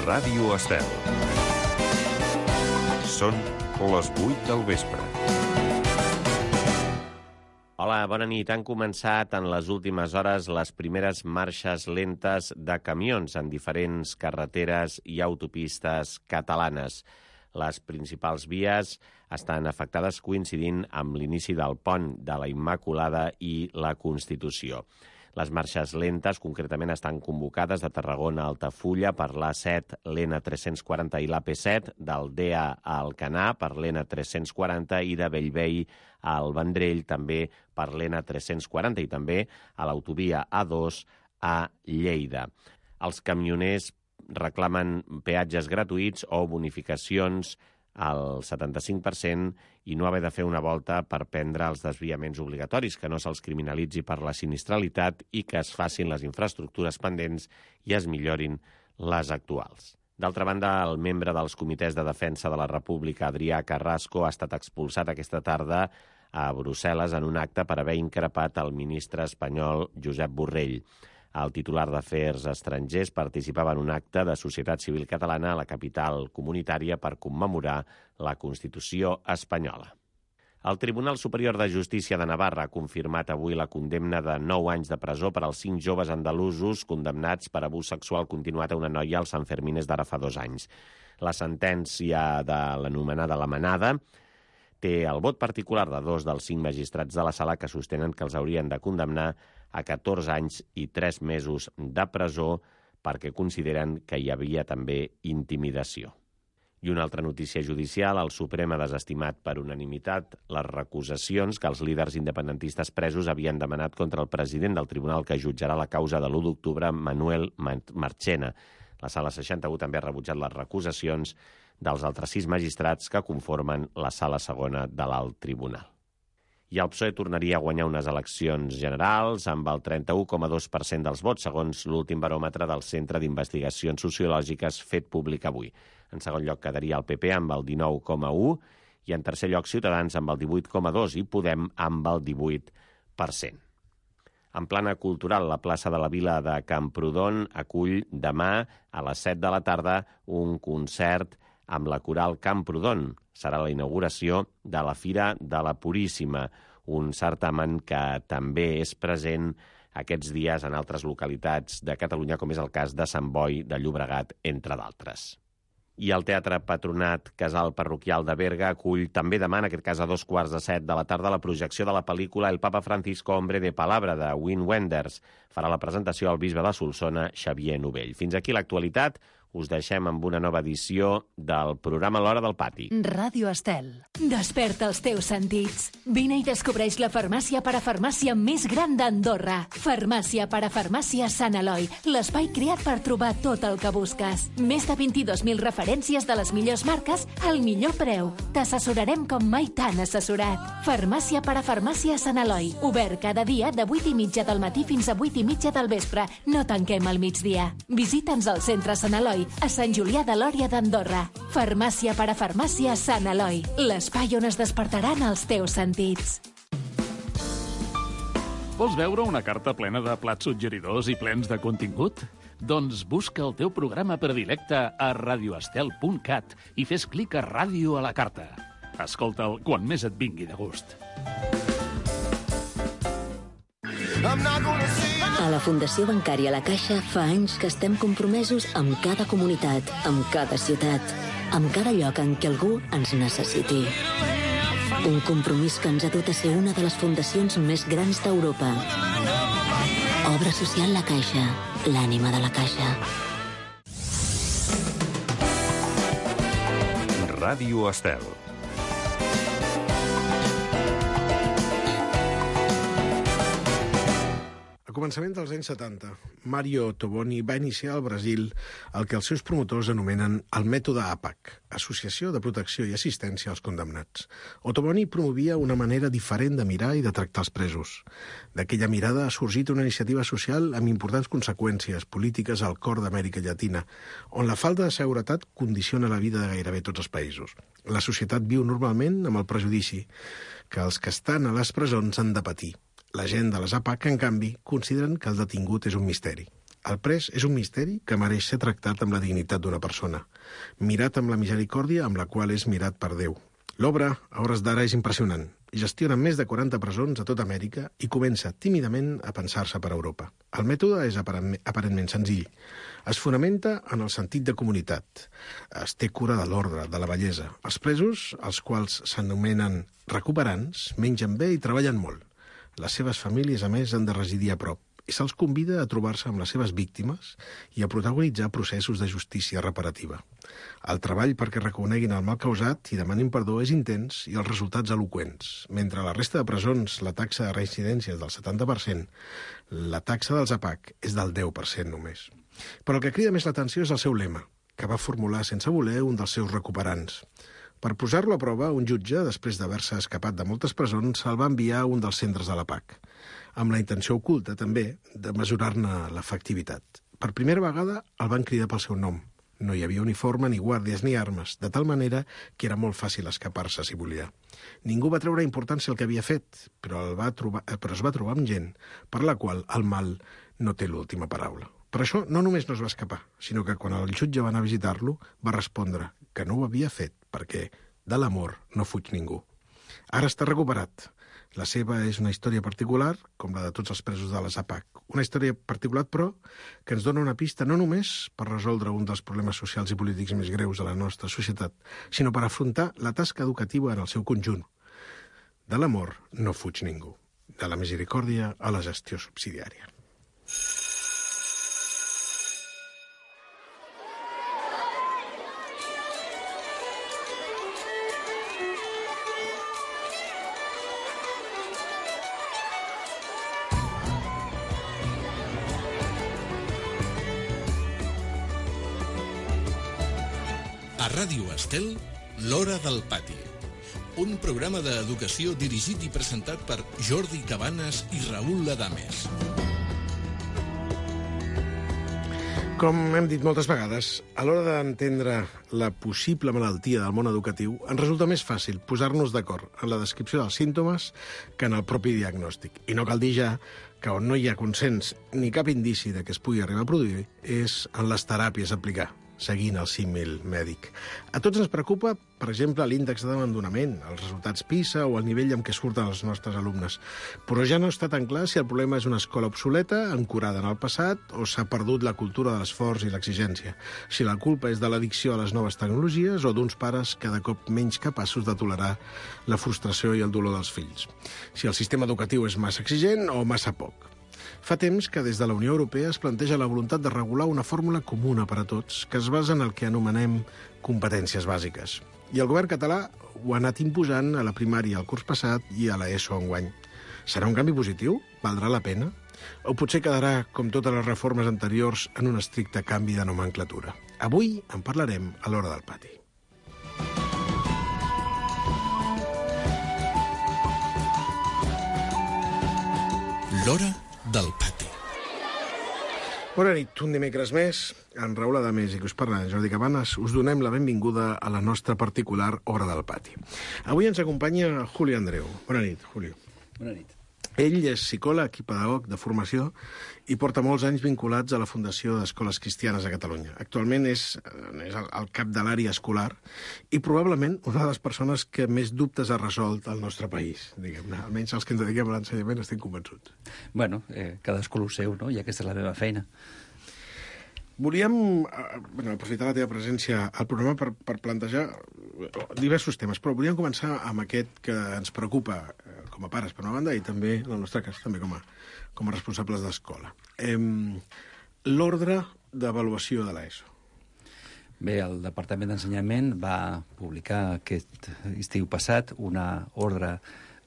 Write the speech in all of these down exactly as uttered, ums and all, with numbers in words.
Ràdio Estel. Són les vuit del vespre. Hola, bona nit. Han començat en les últimes hores les primeres marxes lentes de camions en diferents carreteres i autopistes catalanes. Les principals vies estan afectades coincidint amb l'inici del pont de la Immaculada i la Constitució. Les marxes lentes, concretament, estan convocades de Tarragona a Altafulla per l'A set, l'N tres-cents quaranta i l'A P set, del Dea a Alcanar per l'N tres-cents quaranta i de Bellvei al Vendrell també per l'N tres-cents quaranta i també a l'autovia A dos a Lleida. Els camioners reclamen peatges gratuïts o bonificacions al setanta-cinc per cent i no haver de fer una volta per prendre els desviaments obligatoris, que no se'ls criminalitzi per la sinistralitat i que es facin les infraestructures pendents i es millorin les actuals. D'altra banda, el membre dels comitès de defensa de la República, Adrià Carrasco, ha estat expulsat aquesta tarda a Brussel·les en un acte per haver increpat el ministre espanyol Josep Borrell. El titular d'Afers Estrangers participava en un acte de societat civil catalana a la capital comunitària per commemorar la Constitució espanyola. El Tribunal Superior de Justícia de Navarra ha confirmat avui la condemna de nou anys de presó per als cinc joves andalusos condemnats per abús sexual continuat a una noia als Sanfermines d'ara fa dos anys. La sentència de l'anomenada La Manada té el vot particular de dos dels cinc magistrats de la sala que sostenen que els haurien de condemnar a catorze anys i tres mesos de presó perquè consideren que hi havia també intimidació. I una altra notícia judicial, el Suprem ha desestimat per unanimitat les recusacions que els líders independentistes presos havien demanat contra el president del tribunal que jutjarà la causa de l'u d'octubre, Manuel Marchena. La Sala seixanta-u també ha rebutjat les recusacions dels altres sis magistrats que conformen la Sala segona de l'Alt Tribunal. I el P S O E tornaria a guanyar unes eleccions generals amb el trenta-u coma dos per cent dels vots, segons l'últim baròmetre del Centre d'Investigacions Sociològiques fet públic avui. En segon lloc quedaria el P P amb el dinou coma u i en tercer lloc Ciutadans amb el divuit coma dos i Podem amb el divuit per cent. En plana cultural, la plaça de la Vila de Camprodon acull demà a les set de la tarda un concert amb la coral Camprodon. Serà la inauguració de la Fira de la Puríssima, un certamen que també és present aquests dies en altres localitats de Catalunya, com és el cas de Sant Boi de Llobregat, entre d'altres. I el Teatre Patronat Casal Parroquial de Berga acull també demà, en aquest cas a dos quarts de set de la tarda, la projecció de la pel·lícula El Papa Francisco, hombre de palabra, de Wim Wenders. Farà la presentació el bisbe de Solsona, Xavier Novell. Fins aquí l'actualitat. Us deixem amb una nova edició del programa L'Hora del Pati. Ràdio Estel. Desperta els teus sentits. Vine i descobreix la farmàcia parafarmàcia més gran d'Andorra. Farmàcia parafarmàcia Sant Eloi, l'espai creat per trobar tot el que busques. Més de vint-i-dos mil referències de les millors marques al millor preu. T'assessorarem com mai t'han assessorat. Farmàcia parafarmàcia Sant Eloi. Obert cada dia de vuit i mitja del matí fins a vuit i mitja del vespre. No tanquem al migdia. Visita'ns al centre Sant Eloi, a Sant Julià de Lòria d'Andorra. Farmàcia parafarmàcia Sant Eloi, l'espai on es despertaran els teus sentits. Vols veure una carta plena de plats suggeridors i plens de contingut? Doncs busca el teu programa predilecte a radioestel punt cat i fes clic a Ràdio a la carta. Escolta'l quan més et vingui de gust. A la Fundació Bancària La Caixa fa anys que estem compromesos amb cada comunitat, amb cada ciutat, amb cada lloc en què algú ens necessiti. Un compromís que ens ha dut a ser una de les fundacions més grans d'Europa. Obra social La Caixa, l'ànima de la Caixa. Ràdio Estel. Al començament dels anys setanta, Mario Toboni va iniciar al Brasil el que els seus promotors anomenen el mètode A P A C, Associació de Protecció i Assistència als Condemnats. Toboni promovia una manera diferent de mirar i de tractar els presos. D'aquella mirada ha sorgit una iniciativa social amb importants conseqüències polítiques al cor d'Amèrica Llatina, on la falta de seguretat condiciona la vida de gairebé tots els països. La societat viu normalment amb el prejudici que els que estan a les presons han de patir. La gent de les A P A C, en canvi, consideren que el detingut és un misteri. El pres és un misteri que mereix ser tractat amb la dignitat d'una persona, mirat amb la misericòrdia amb la qual és mirat per Déu. L'obra, a hores d'ara, és impressionant. Gestiona més de quaranta presons a tota Amèrica i comença tímidament a pensar-se per Europa. El mètode és aparentment senzill. Es fonamenta en el sentit de comunitat. Es té cura de l'ordre, de la bellesa. Els presos, els quals s'anomenen recuperants, mengen bé i treballen molt. Les seves famílies, a més, han de residir a prop i se'ls convida a trobar-se amb les seves víctimes i a protagonitzar processos de justícia reparativa. El treball perquè reconeguin el mal causat i demanin perdó és intens i els resultats eloqüents. Mentre a la resta de presons la taxa de reincidència és del setanta per cent, la taxa dels A P A C és del deu per cent només. Però el que crida més l'atenció és el seu lema, que va formular sense voler un dels seus recuperants. Per posar-lo a prova, un jutge, després d'haver-se escapat de moltes presons, se'l va enviar a un dels centres de l'A P A C, amb la intenció oculta, també, de mesurar-ne l'efectivitat. Per primera vegada el van cridar pel seu nom. No hi havia uniforme, ni guàrdies, ni armes, de tal manera que era molt fàcil escapar-se si volia. Ningú va treure importància al que havia fet, però, el va trobar, però es va trobar amb gent per la qual el mal no té l'última paraula. Per això no només no es va escapar, sinó que quan el jutge va anar a visitar-lo va respondre que no ho havia fet perquè de l'amor no fuig ningú. Ara està recuperat. La seva és una història particular, com la de tots els presos de les A P A C. Una història particular, però, que ens dona una pista no només per resoldre un dels problemes socials i polítics més greus de la nostra societat, sinó per afrontar la tasca educativa en el seu conjunt. De l'amor no fuig ningú. De la misericòrdia a la gestió subsidiària. A Ràdio Estel, l'Hora del Pati. Un programa d'educació dirigit i presentat per Jordi Cabanes i Raül Ladames. Com hem dit moltes vegades, a l'hora d'entendre la possible malaltia del món educatiu, ens resulta més fàcil posar-nos d'acord en la descripció dels símptomes que en el propi diagnòstic. I no cal dir ja que on no hi ha consens ni cap indici de que es pugui arribar a produir és en les teràpies a aplicar, seguint el símil mèdic. A tots ens preocupa, per exemple, l'índex d'abandonament, els resultats PISA o el nivell amb què surten els nostres alumnes. Però ja no està tan clar si el problema és una escola obsoleta, ancorada en el passat, o s'ha perdut la cultura de l'esforç i l'exigència. Si la culpa és de l'addicció a les noves tecnologies o d'uns pares cada cop menys capaços de tolerar la frustració i el dolor dels fills. Si el sistema educatiu és massa exigent o massa poc. Fa temps que des de la Unió Europea es planteja la voluntat de regular una fórmula comuna per a tots que es basa en el que anomenem competències bàsiques. I el govern català ho ha anat imposant a la primària el curs passat i a l'ESO enguany. Serà un canvi positiu? Valdrà la pena? O potser quedarà, com totes les reformes anteriors, en un estricte canvi de nomenclatura? Avui en parlarem a l'Hora del Pati. L'Hora del Pati. Bona nit, un dimecres més. En Raül Ladames i que us parla Jordi Cabanes, us donem la benvinguda a la nostra particular Hora del Pati. Avui ens acompanya Julio Andreu. Bona nit, Julio. Bona nit. Ell és psicòleg i pedagog de formació i porta molts anys vinculats a la Fundació d'Escoles Cristianes a Catalunya. Actualment és, és el, el cap de l'àrea escolar i probablement una de les persones que més dubtes ha resolt al nostre país, diguem-ne. Almenys els que ens dediquem a l'ensenyament estem convençuts. Bueno, eh, cadascú el seu, no? I aquesta és la meva feina. Volíem eh, bueno, aprofitar la teva presència al programa per, per plantejar diversos temes, però volíem començar amb aquest que ens preocupa eh, com a pares, per una banda, i també, en el nostre cas, també com a, com a responsables d'escola. Eh, L'ordre d'avaluació de l'ESO. Bé, el Departament d'Ensenyament va publicar aquest estiu passat una ordre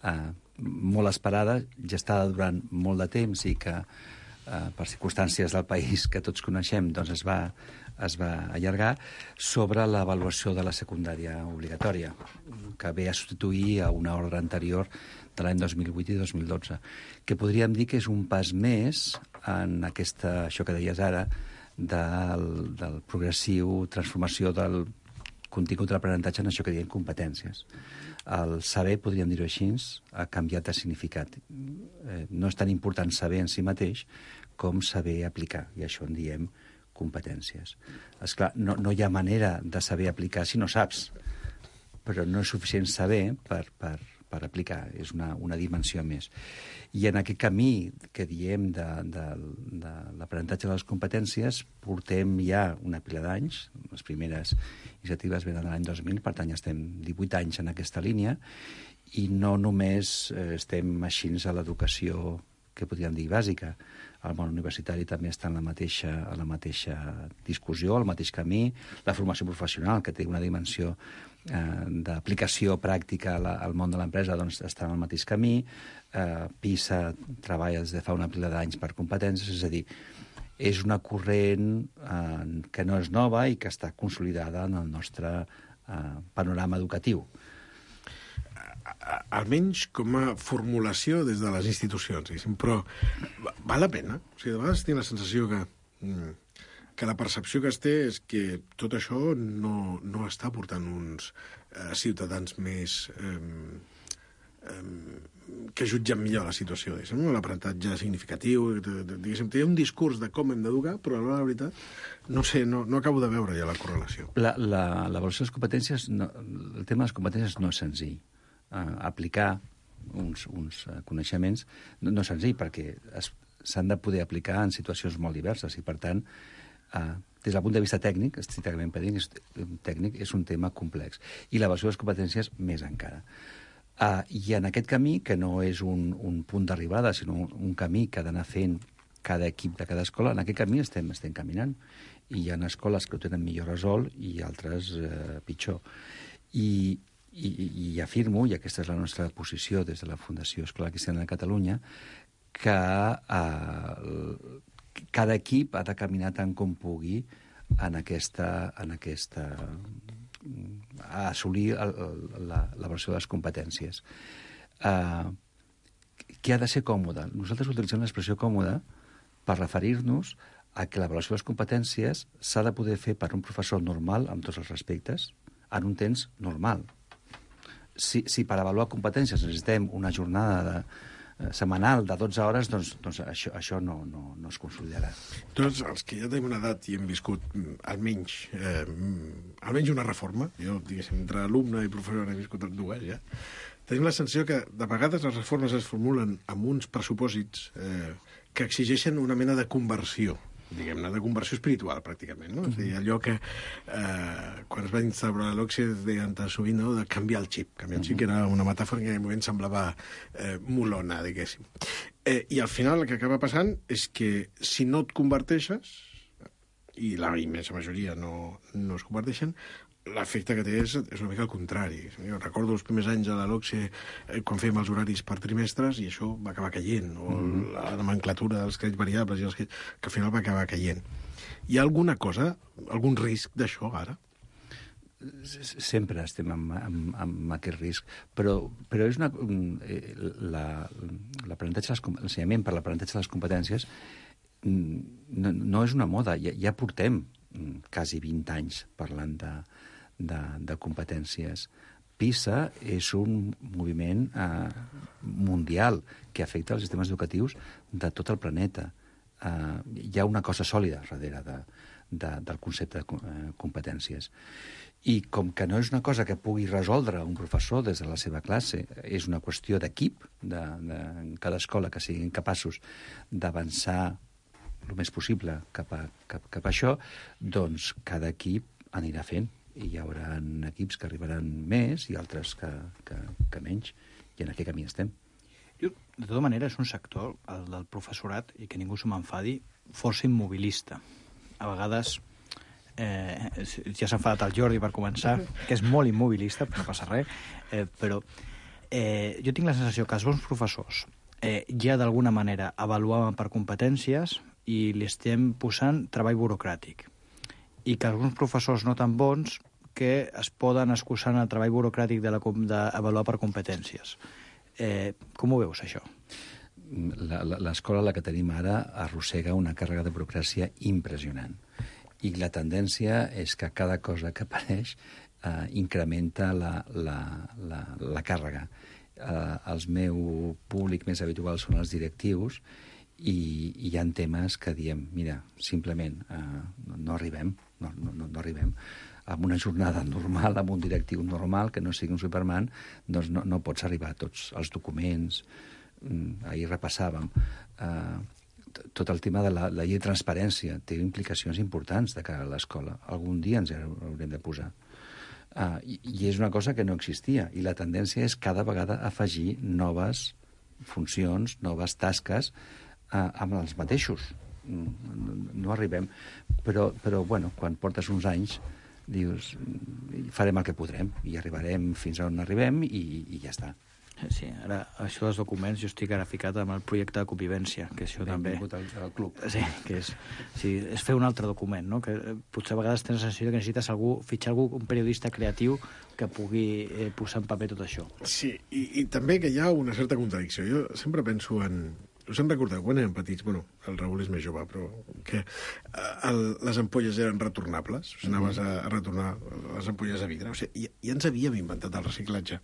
eh, molt esperada, gestada durant molt de temps i que eh, per circumstàncies del país que tots coneixem doncs es va, es va allargar, sobre l'avaluació de la secundària obligatòria, que ve a substituir a una ordre anterior de l'any dos mil vuit i dos mil dotze, que podríem dir que és un pas més en aquesta, això que deies ara, del, del progressiu transformació del, contingut de l'aprenentatge en això que diem competències. El saber, podríem dir-ho així, ha canviat de significat. Eh, no és tan important saber en si mateix com saber aplicar, i això en diem competències. Esclar, no, no hi ha manera de saber aplicar si no saps, però no és suficient saber per, per, per aplicar, és una, una dimensió més. I en aquest camí que diem de, de, de l'aprenentatge de les competències portem ja una pila d'anys, les primeres iniciatives venen de l'any dos mil, per tant ja estem divuit anys en aquesta línia, i no només eh, estem així a l'educació que podríem dir bàsica. El món universitari també està en la mateixa, en la mateixa discussió, al mateix camí. La formació professional, que té una dimensió eh, d'aplicació pràctica al, al món de l'empresa, doncs està en el mateix camí. Eh, PISA treballa des de fa una pila d'anys per competències, és a dir, és una corrent eh, que no és nova i que està consolidada en el nostre eh, panorama educatiu. Almenys com a formulació des de les institucions, però val la pena. O sigui, de vegades tinc la sensació que, que la percepció que es té és que tot això no, no està portant uns eh, ciutadans més eh, eh, que jutgen millor la situació. L'aprenentatge significatiu, diguéssim, té un discurs de com hem d'educar, però a l'hora de la veritat no sé, no, no acabo de veure ja la correlació. La, la, l'avaluació de les competències, no, el tema de les competències no és senzill. Uh, aplicar uns, uns uh, coneixements no, no és senzill, perquè s'han de poder aplicar en situacions molt diverses i, per tant, uh, des del punt de vista tècnic, estrictament tècnic, és un tema complex. I l'avaluació de les competències més encara. Uh, I en aquest camí, que no és un, un punt d'arribada, sinó un, un camí que ha d'anar fent cada equip de cada escola, en aquest camí estem, estem caminant. I hi ha escoles que ho tenen millor resolt i altres uh, pitjor. I I, i afirmo, i aquesta és la nostra posició des de la Fundació Escolar Cristiana de Catalunya, que eh, cada equip ha de caminar tant com pugui en aquesta, en aquesta a assolir el, el, la, la versió de les competències. Eh, que ha de ser còmode. Nosaltres utilitzem l'expressió còmoda per referir-nos a que l'avaluació de les competències s'ha de poder fer per un professor normal, amb tots els respectes, en un temps normal. Si, si per avaluar competències necessitem una jornada de, eh, setmanal de dotze hores, doncs, doncs això, això no, no, no es consolidarà. Tots els que ja tenim una edat i hem viscut almenys, eh, almenys una reforma, jo, diguéssim, entre alumne i professor he viscut dues, ja, tenim la sensació que de vegades les reformes es formulen amb uns pressupòsits eh, que exigeixen una mena de conversió, diguem-ne, de conversió espiritual, pràcticament, no? Mm-hmm. És a dir, allò que, eh, quan es va instaurar l'Oxi, es deien tan sovint, no?, de canviar el xip. Canviar el xip, mm-hmm. que era una metàfora que en aquell moment semblava eh, molona, diguéssim. Eh, I al final el que acaba passant és que si no et converteixes, i la immensa majoria no, no es converteixen, l'efecte que té és, és una mica el contrari. Jo recordo els primers anys a la LOCSE eh, quan fèiem els horaris per trimestres i això va acabar caient, o mm. la nomenclatura dels crèdits variables i els que, que al final va acabar caient. Hi ha alguna cosa, algun risc d'això ara? Sempre estem amb, amb, amb aquest risc, però, però és una, la, l'aprenentatge, l'ensenyament per l'aprenentatge de les competències no, no és una moda, ja, ja portem quasi vint anys parlant de, de, de competències. PISA és un moviment eh, mundial que afecta els sistemes educatius de tot el planeta. Eh, hi ha una cosa sòlida darrere de, de, del concepte de eh, competències. I com que no és una cosa que pugui resoldre un professor des de la seva classe, és una qüestió d'equip, de, de, en cada escola que siguin capaços d'avançar el més possible cap a, cap, cap a això, doncs cada equip anirà fent. I hi haurà equips que arribaran més i altres que, que, que menys. I en aquest camí estem. Jo, de tota manera, és un sector, el del professorat, i que ningú se m'enfadi, força immobilista. A vegades, eh, ja s'ha enfadat el Jordi per començar, que és molt immobilista, però no passa res, eh, però eh, jo tinc la sensació que els bons professors eh, ja d'alguna manera avaluaven per competències i li estem posant treball burocràtic. I que alguns professors no tan bons que es poden excusar en el treball burocràtic de la, d'avaluar per competències. Eh, com ho veus, això? L'escola, la que tenim ara, arrossega una càrrega de burocràcia impressionant. I la tendència és que cada cosa que apareix eh, incrementa la, la, la, la càrrega. Eh, els meu públic més habitual són els directius i, i hi ha temes que diem, mira, simplement eh, no, no arribem, no, no, no arribem. Amb una jornada normal, amb un directiu normal, que no sigui un Superman, doncs no, no pots arribar a tots els documents. Ahir repassàvem. Eh, tot el tema de la, la llei de transparència té implicacions importants de cara a l'escola. Algun dia ens haurem de posar. Uh, i, I és una cosa que no existia. I la tendència és cada vegada afegir noves funcions, noves tasques uh, amb els mateixos. No, no arribem. Però, però, bueno, quan portes uns anys dius, farem el que podrem i arribarem fins on arribem i, i ja està. Sí, ara, això dels documents, jo estic ara ficat amb el projecte de convivència, que això també... Al, al club. Sí, que és, sí, és fer un altre document, no? Que potser a vegades tens la sensació que necessites algú, fitxar algú, un periodista creatiu que pugui eh, posar en paper tot això. Sí, i, i també que hi ha una certa contradicció. Jo sempre penso en... Us en recordeu, quan érem petits, bueno, el Raül és més jove, però que el, les ampolles eren retornables, o sigui, anaves a, a retornar les ampolles a vidre, o sigui, ja, ja ens havíem inventat el reciclatge.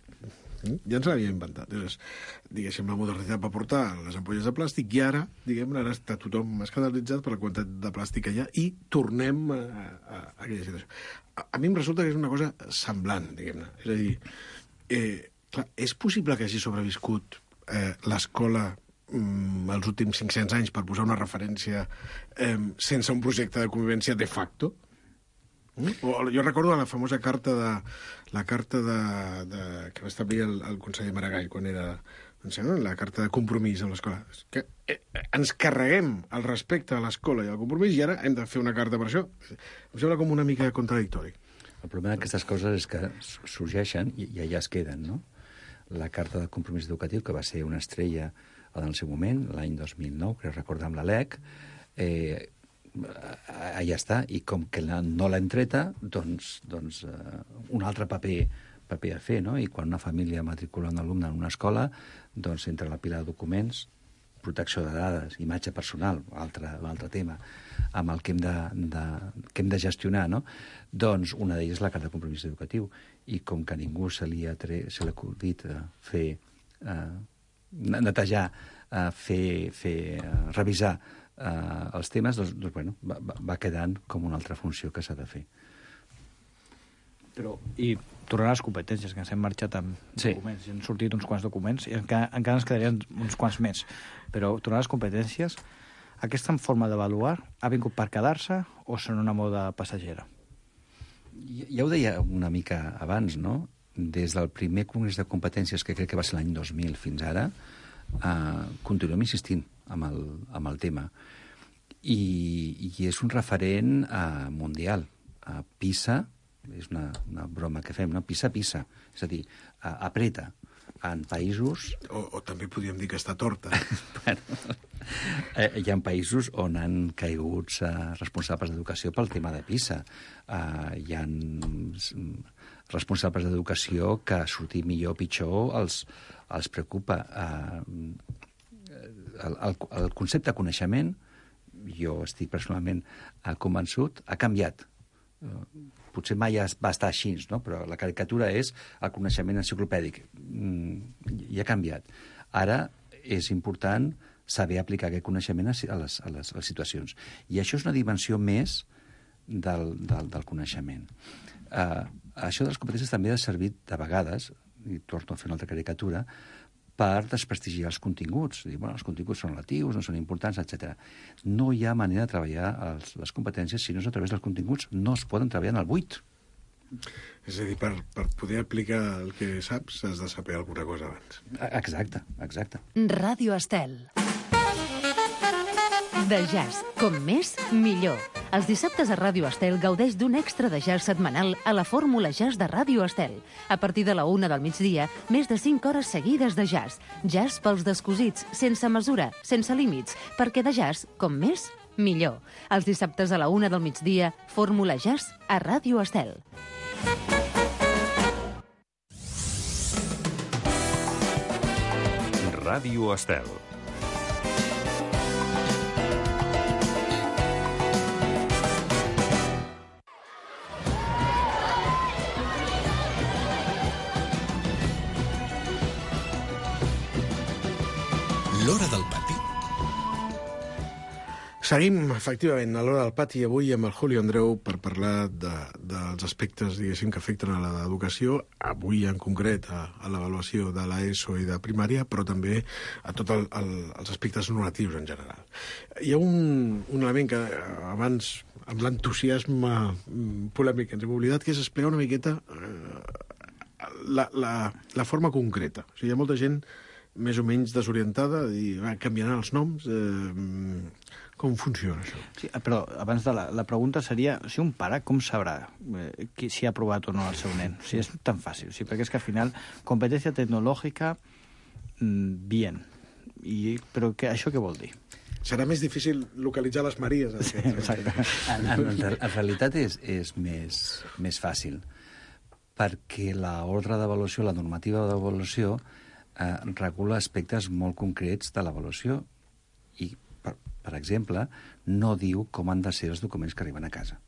Ja ens l'havíem inventat. Llavors, diguéssim, la modernitat va portar les ampolles de plàstic i ara, diguem, ara està tothom escandalitzat per la quantitat de plàstic que hi ha i tornem a, a, a aquella situació. A, a mi em resulta que és una cosa semblant, diguem-ne. És a dir, eh, clar, és possible que hagi sobreviscut eh, l'escola mm, els últims cinc-cents anys, per posar una referència, eh, sense un projecte de convivència de facto? Mm? O, jo recordo la famosa carta de, la carta de, de, que va establir el, el conseller Maragall quan era doncs, no? la carta de compromís amb l'escola. Que eh, ens carreguem el respecte a l'escola i al compromís i ara hem de fer una carta per això. Em sembla com una mica contradictori. El problema d'aquestes coses és que sorgeixen i, i allà es queden, no? La carta de compromís educatiu, que va ser una estrella en el seu moment, l'any dos mil nou, crec recordar amb l'A L E C, eh, allà està, i com que no l'hem treta, doncs, doncs uh, un altre paper, paper a fer, no? I quan una família matricula un alumne en una escola, doncs entre la pila de documents, protecció de dades, imatge personal, altre, altre tema, amb el que hem de, de, que hem de gestionar, no? Doncs una d'elles és la carta de compromís educatiu, i com que a ningú se li ha, tre... se li ha acudit uh, fer, uh, netejar, uh, fer, fer uh, revisar Uh, els temes, doncs, doncs bueno, va, va quedant com una altra funció que s'ha de fer. Però, i tornant a les competències, que ens hem marxat amb sí. documents, i han sortit uns quants documents, i encara, encara ens quedarien uns quants més. Però, tornant a les competències, aquesta forma d'avaluar ha vingut per quedar-se o són una moda passagera? Ja ho deia una mica abans, no? Des del primer congrés de competències, que crec que va ser l'any dos mil fins ara, uh, continuem insistint amb el, amb el tema. I, i és un referent uh, mundial. Uh, PISA, és una, una broma que fem, no? PISA, PISA. És a dir, uh, apreta en països... O, o també podríem dir que està torta. bueno, eh, hi ha països on han caigut uh, responsables d'educació pel tema de PISA. Uh, hi ha responsables d'educació que sortir millor o pitjor els, els preocupa. Uh, El, el, el concepte de coneixement, jo estic personalment uh, convençut, ha canviat. Uh, potser mai va estar així, no? Però la caricatura és el coneixement enciclopèdic. Mm, i ha canviat. Ara és important saber aplicar aquest coneixement a les, a les, a les situacions. I això és una dimensió més del, del, del coneixement. Uh, això de les competències també ha servit de vegades, i torno a fer una altra caricatura, per desprestigiar els continguts. Dir, bueno, els continguts són relatius, no són importants, etcètera. No hi ha manera de treballar els, les competències si no és a través dels continguts. No es poden treballar en el buit. És a dir, per, per poder aplicar el que saps, has de saber alguna cosa abans. Exacte, exacte. Ràdio Estel. De jazz. Com més, millor. Els dissabtes a Ràdio Estel gaudeix d'un extra de jazz setmanal a la fórmula jazz de Ràdio Estel. A partir de la una del migdia, més de cinc hores seguides de jazz. Jazz pels descosits, sense mesura, sense límits, perquè de jazz, com més, millor. Els dissabtes a la una del migdia, fórmula jazz a Ràdio Estel. Ràdio Estel. Seguim, efectivament, a l'Hora del Pati avui amb el Julio Andreu per parlar de, dels aspectes, diguéssim, que afecten a l'educació, avui en concret a, a l'avaluació de l'ESO i de primària, però també a tots el, el, els aspectes normatius en general. Hi ha un, un element que abans, amb l'entusiasme polèmic que ens hem oblidat, que és explicar una miqueta eh, la, la, la forma concreta. O sigui, hi ha molta gent més o menys desorientada i va, canviaran els noms... Eh, Com funciona això? Sí, però abans de la, la pregunta seria, si un pare com sabrà eh, qui, si ha aprovat o no el seu nen? O sigui, és tan fàcil, sí, perquè és que al final, competència tecnològica, mmm, bien. I, però que, això què vol dir? Serà més difícil localitzar les Maries. Sí, exacte. En, en, en realitat és, és més, més fàcil, perquè l'ordre d'avaluació, la normativa d'avaluació, eh, regula aspectes molt concrets de l'avaluació i per exemple, no diu com han de ser els documents que arriben a casa.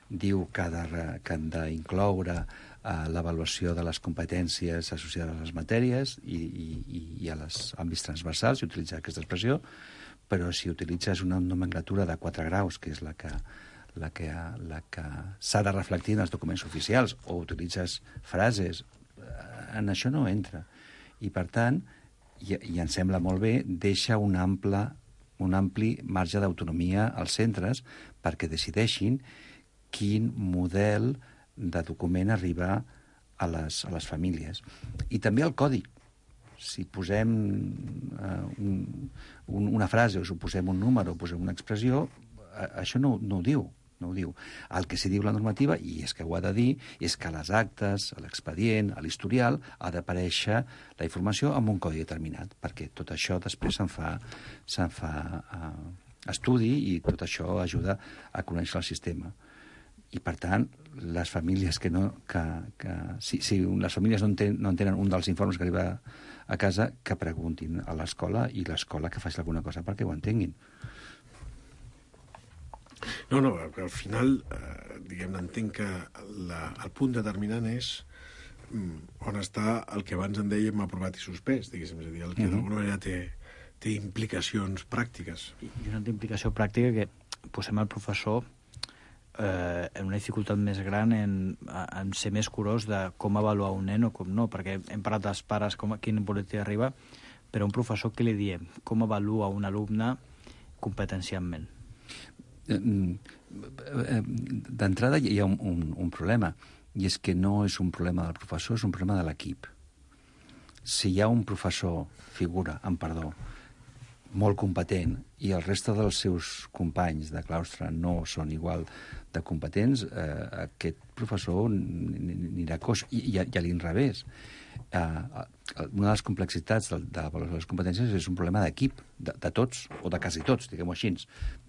Diu que, de, que han d'incloure uh, l'avaluació de les competències associades a les matèries i, i, i a les àmbits transversals, i utilitzar aquesta expressió, però si utilitzes una nomenclatura de quatre graus, que és la que, la que, la que s'ha de reflectir en els documents oficials, o utilitzes frases, en això no entra. I, per tant, i, i em sembla molt bé, deixa un ample un ampli marge d'autonomia als centres perquè decideixin quin model de document arriba a les, a les famílies. I també el codi. Si posem uh, un, un, una frase o si posem un número o posem una expressió, uh, això no, no ho diu. No ho diu. El que s'hi diu la normativa, i és que ho ha de dir, és que a les actes, a l'expedient, a l'historial, ha d'aparèixer la informació amb un codi determinat, perquè tot això després se'n fa, se'n fa uh, estudi i tot això ajuda a conèixer el sistema. I, per tant, les famílies que no... Que, que, si, si les famílies no, enten, no entenen un dels informes que arriba a casa, que preguntin a l'escola i l'escola que faci alguna cosa perquè ho entenguin. No, no, al final, eh, diguem-ne, entenc que la, el punt determinant és mm, on està el que abans en dèiem aprovat i suspès, diguéssim, és a dir, el que uh-huh. d'alguna manera té, té implicacions pràctiques. I una implicació pràctica que posem el professor eh, en una dificultat més gran en, en ser més curós de com avaluar un nen o com no, perquè hem parlat dels pares, com, quin boletí arriba, però un professor, què li diem? Com avalua un alumne competencialment? D'entrada hi ha un, un, un problema, i és que no és un problema del professor, és un problema de l'equip. Si hi ha un professor, figura, amb perdó, molt competent, i el reste dels seus companys de claustre no són igual de competents, eh, aquest professor anirà coix, i, i, i a l'inrevés. Eh, una de les complexitats de, de l'avaluació de les competències és un problema d'equip, de, de tots, o de quasi tots, diguem-ho així.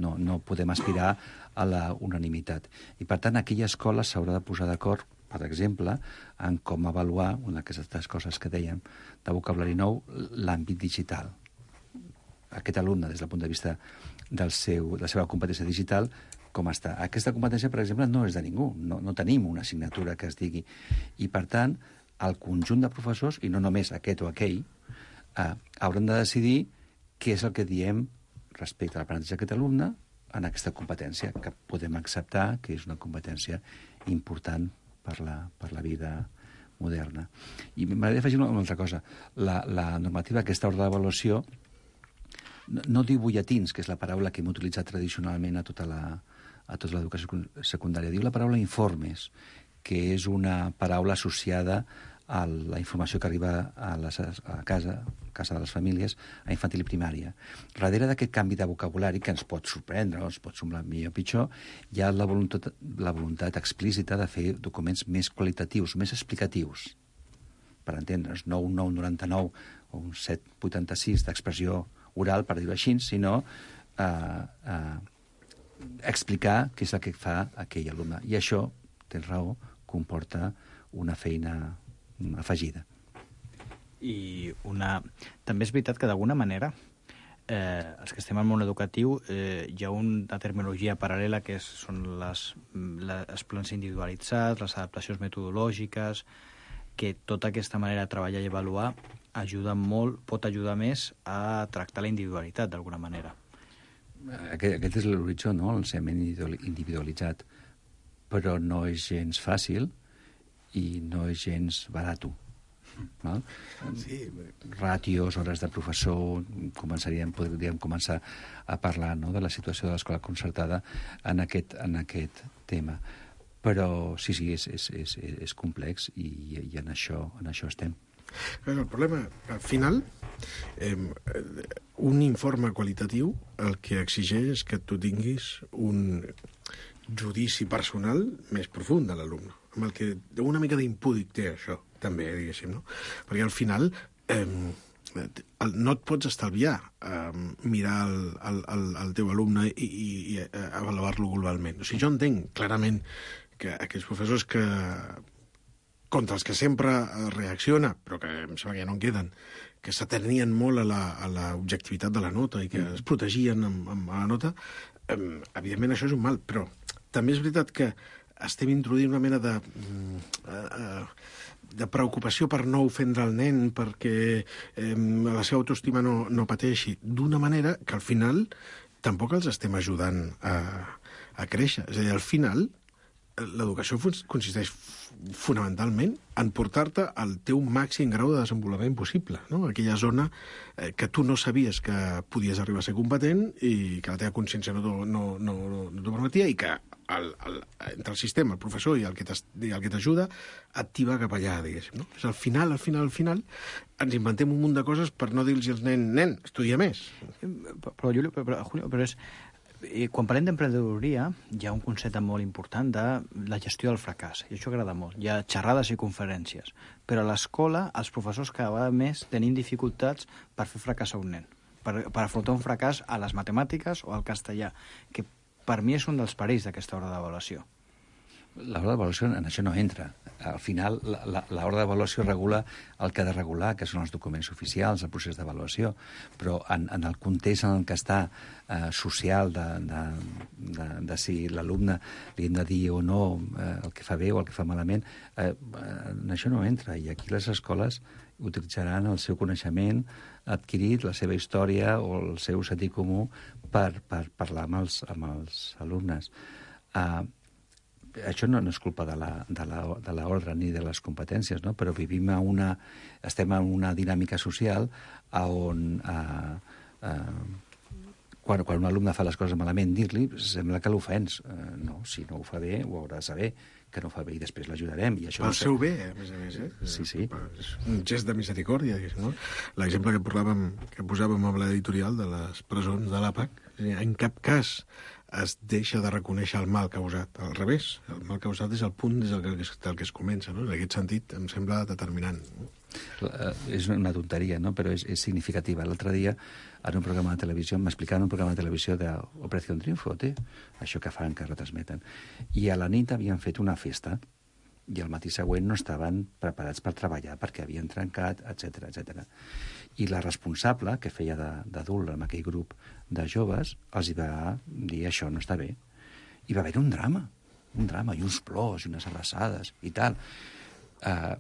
No, no podem aspirar a la unanimitat. I, per tant, aquella escola s'haurà de posar d'acord, per exemple, en com avaluar, una d'aquestes coses que dèiem, de vocabulari nou, l'àmbit digital. Aquest alumne, des del punt de vista del seu, de la seva competència digital, com està. Aquesta competència, per exemple, no és de ningú. No, no tenim una assignatura que es digui. I, per tant, el conjunt de professors, i no només aquest o aquell, eh, hauran de decidir què és el que diem respecte a l'aprenentatge d'aquest alumne en aquesta competència, que podem acceptar que és una competència important per la, per la vida moderna. I m'agradaria afegir una, una altra cosa. La, la normativa, aquesta ordre d'avaluació, no, no diu butlletins, que és la paraula que hem utilitzat tradicionalment a tota la, a tota l'educació secundària. Diu la paraula informes, que és una paraula associada a la informació que arriba a, les, a casa, a casa de les famílies, a infantil i primària. Darrere d'aquest canvi de vocabulari, que ens pot sorprendre, o ens pot semblar millor o pitjor, hi ha la voluntat, la voluntat explícita de fer documents més qualitatius, més explicatius. Per entendre's, no un nou noranta-nou o un set vuitanta-sis d'expressió oral, per dir-ho així, sinó eh, eh, explicar què és el que fa aquell alumne. I això, tens raó, comporta una feina afegida. I una... també és veritat que d'alguna manera eh, els que estem al món educatiu eh, hi ha una terminologia paral·lela que és, són les, les, els plans individualitzats, les adaptacions metodològiques, que tota aquesta manera de treballar i avaluar ajuda molt, pot ajudar més a tractar la individualitat d'alguna manera. Aquest, aquest és l'horitzó, no?, el l'ensenyament individualitzat, però no és gens fàcil i no és gens barat. Val? Sí. Ràtios, hores de professor, començaríem, podríem començar a parlar, no?, de la situació de l'escola concertada en aquest, en aquest tema. Però sí, sí, és, és, és, és complex i, i en, això, en això estem. El problema, al final, eh, un informe qualitatiu el que exigeix és que tu tinguis un judici personal més profund de l'alumne, amb el que una mica d'impúdic té això, també, diguéssim, no? Perquè al final eh, no et pots estalviar eh, mirar el, el, el, el teu alumne i, i, i avaluar-lo globalment. O sigui, jo entenc clarament que aquells professors que contra els que sempre reacciona, però que em sembla que ja no en queden, que s'atenien molt a l'objectivitat de la nota i que es protegien amb, amb la nota, eh, evidentment això és un mal, però també és veritat que estem introduint una mena de, eh, de preocupació per no ofendre el nen, perquè eh, la seva autoestima no, no pateixi, d'una manera que al final tampoc els estem ajudant a, a créixer. És a dir, al final l'educació consisteix fonamentalment en portar-te al teu màxim grau de desenvolupament possible, no? Aquella zona eh, que tu no sabies que podies arribar a ser competent i que la teva consciència no, no, no, no t'ho permetia i que el, el, entre el sistema, el professor i el que t'ajuda et tiba cap allà, diguéssim, no? És al final, al final, al final ens inventem un munt de coses per no dir-los als nens, nen, estudia més. Però, Julio, però, Julio, però és... I quan parlem d'emprenedoria, hi ha un concepte molt important de la gestió del fracàs, i això agrada molt. Hi ha xerrades i conferències, però a l'escola els professors cada vegada més tenim dificultats per fer fracassar un nen, per, per afrontar un fracàs a les matemàtiques o al castellà, que per mi és un dels perills d'aquesta hora d'avaluació. L'hora d'avaluació en això no entra. Al final, l'hora d'avaluació regula el que ha de regular, que són els documents oficials, el procés d'avaluació, però en, en el context en el que està eh, social de, de, de, de si l'alumne li hem de dir o no eh, el que fa bé o el que fa malament, eh, en això no entra. I aquí les escoles utilitzaran el seu coneixement adquirit, la seva història o el seu sentit comú per, per parlar amb els, amb els alumnes. Eh, Això no, no és culpa de la, de la, de l'ordre ni de les competències, no? Però vivim a una, estem en una dinàmica social on eh, eh, quan, quan un alumne fa les coses malament, dir-li sembla que l'ofens. Eh, no, si no ho fa bé, ho haurà de saber que no ho fa bé i després l'ajudarem. I això pel no seu bé, a més a més, eh? Sí, sí. És un gest de misericòrdia, no? L'exemple que, parlàvem, que posàvem amb l'editorial de les presons de l'A P A C, en cap cas es deixa de reconèixer el mal causat. Al revés, el mal causat és el punt des del que, del que es comença, no? En aquest sentit em sembla determinant. És una tonteria, no? Però és, és significativa. L'altre dia, en un programa de televisió, m'explicaven un programa de televisió d'Operació Triunfo, té? Això que fan, que retransmeten. I a la nit havien fet una festa i al matí següent no estaven preparats per treballar perquè havien trencat, etcètera, etcètera. I la responsable, que feia d'adult en aquell grup de joves, els hi va dir això no està bé. I va haver un drama, un drama, i uns plors, i unes abraçades, i tal. Uh,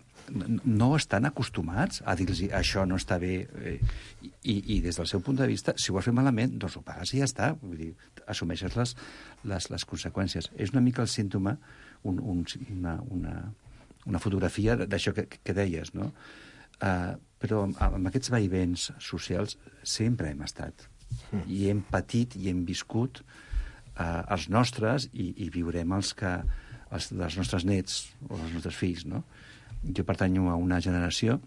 no estan acostumats a dir-los això no està bé, eh, i, i des del seu punt de vista, si ho has fet malament, doncs ho pagues i ja està. Vull dir, assumeixes les, les, les conseqüències. És una mica el símptoma, un, un, una, una, una fotografia d'això que, que deies, no? Uh, però amb, amb aquests vaivents socials sempre hem estat. Mm. I hem patit i hem viscut uh, els nostres i, i viurem els que els dels nostres nets o els nostres fills, no? Jo pertanyo a una generació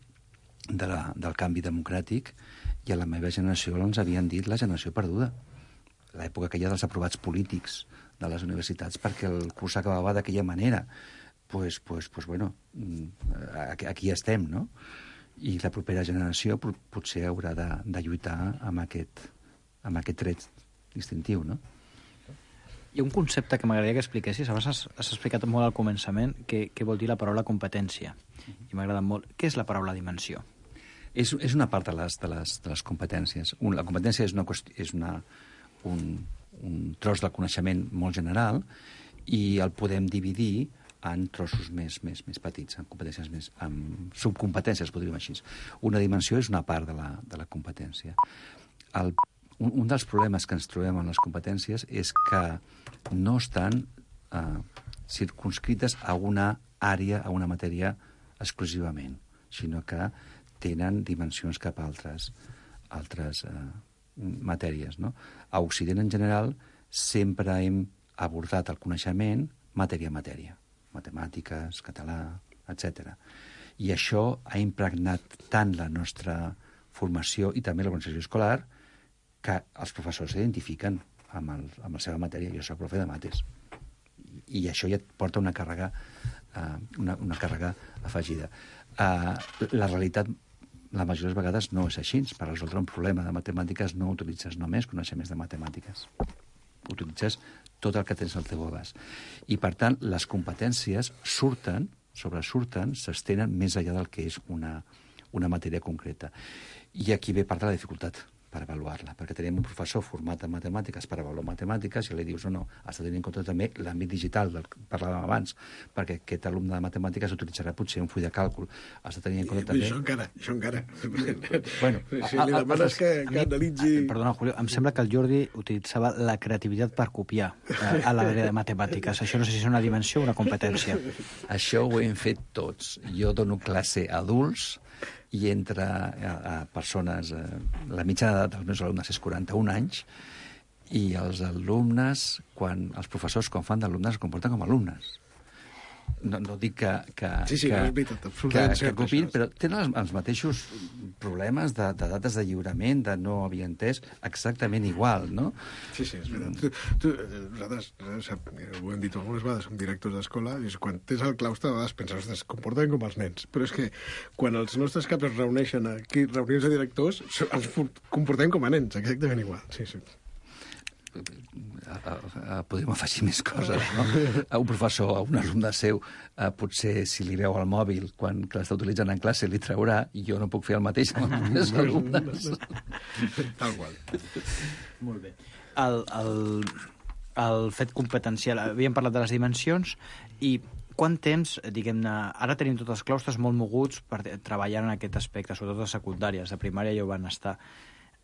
de la, del canvi democràtic i a la meva generació ens havien dit la generació perduda. L'època aquella dels aprovats polítics de les universitats perquè el curs acabava d'aquella manera. Pues, pues, pues bueno, aquí, aquí estem, no? I la propera generació potser haurà de, de lluitar amb aquest, amb aquest tret distintiu, no? Hi ha un concepte que m'agradaria que expliquessis. Abans has, has explicat molt al començament què, què vol dir la paraula competència. I m'ha agradat molt. Què és la paraula dimensió? És, és una part de les, de les, de les competències. Un, la competència és, una, és una, un, un tros del coneixement molt general i el podem dividir en trossos més, més, més petits, en competències més, en subcompetències, podríem dir així. Una dimensió és una part de la, de la competència. El un, un dels problemes que ens trobem en les competències és que no estan eh, circunscrites a una àrea, a una matèria exclusivament, sinó que tenen dimensions cap a altres, altres eh, matèries. No? A Occident, en general, sempre hem abordat el coneixement matèria a matèria, matemàtiques, català, etcètera. I això ha impregnat tant la nostra formació i també l'organització escolar que els professors s'identifiquen amb, el, amb la seva matèria. Jo soc profe de mates. I això ja et porta una càrrega, uh, una, una càrrega afegida. Uh, la realitat, la majoria de les vegades, no és així. Per resoldre un problema de matemàtiques no utilitzes només coneixements de matemàtiques. Utilitzes tot el que tens al teu abast. I, per tant, les competències surten, sobresurten, s'estenen més enllà del que és una, una matèria concreta. I aquí ve part de la dificultat per avaluar-la, perquè tenim un professor format en matemàtiques per avaluar matemàtiques i li dius, no, no, has de tenir en compte també l'àmbit digital del que parlàvem abans, perquè aquest alumne de matemàtiques utilitzarà potser un full de càlcul. Has de tenir en compte I, també... Això encara, això encara. Bueno, si li demanes que, que analitzi... Perdona, Julio, em sembla que el Jordi utilitzava la creativitat per copiar eh, a l'àrea de matemàtiques. Això no sé si és una dimensió o una competència. Això ho hem fet tots. Jo dono classe a adults i entre a, a persones... Eh, la mitjana d'edat dels meus alumnes és quaranta-un anys i els alumnes, quan els professors, quan fan d'alumnes, es comporten com alumnes. No, no dic que, que, sí, sí, que, és veritat, que, que copin, però tenen els, els mateixos problemes de, de dates de lliurament, de no havia entès, exactament igual, no? Sí, sí, és veritat. Tu, tu, nosaltres, sap, ho hem dit algunes vegades, som directors d'escola, i quan tens el claustre, a vegades penses, ostres, es comporten com els nens. Però és que quan els nostres caps es reuneixen aquí, reunions de directors, ens comportem com a nens, exactament igual. Sí, sí. Podríem afegir més coses, no? A un professor, a un alumne seu, eh, potser si li veu el mòbil quan que l'està utilitzant en classe li traurà, i jo no puc fer el mateix amb els meus alumnes. Tal qual. Molt bé. El, el, el fet competencial, havíem parlat de les dimensions, i quant temps, diguem-ne, ara tenim tots els claustres molt moguts per treballar en aquest aspecte, sobretot de secundàries, de primària ja ho van estar.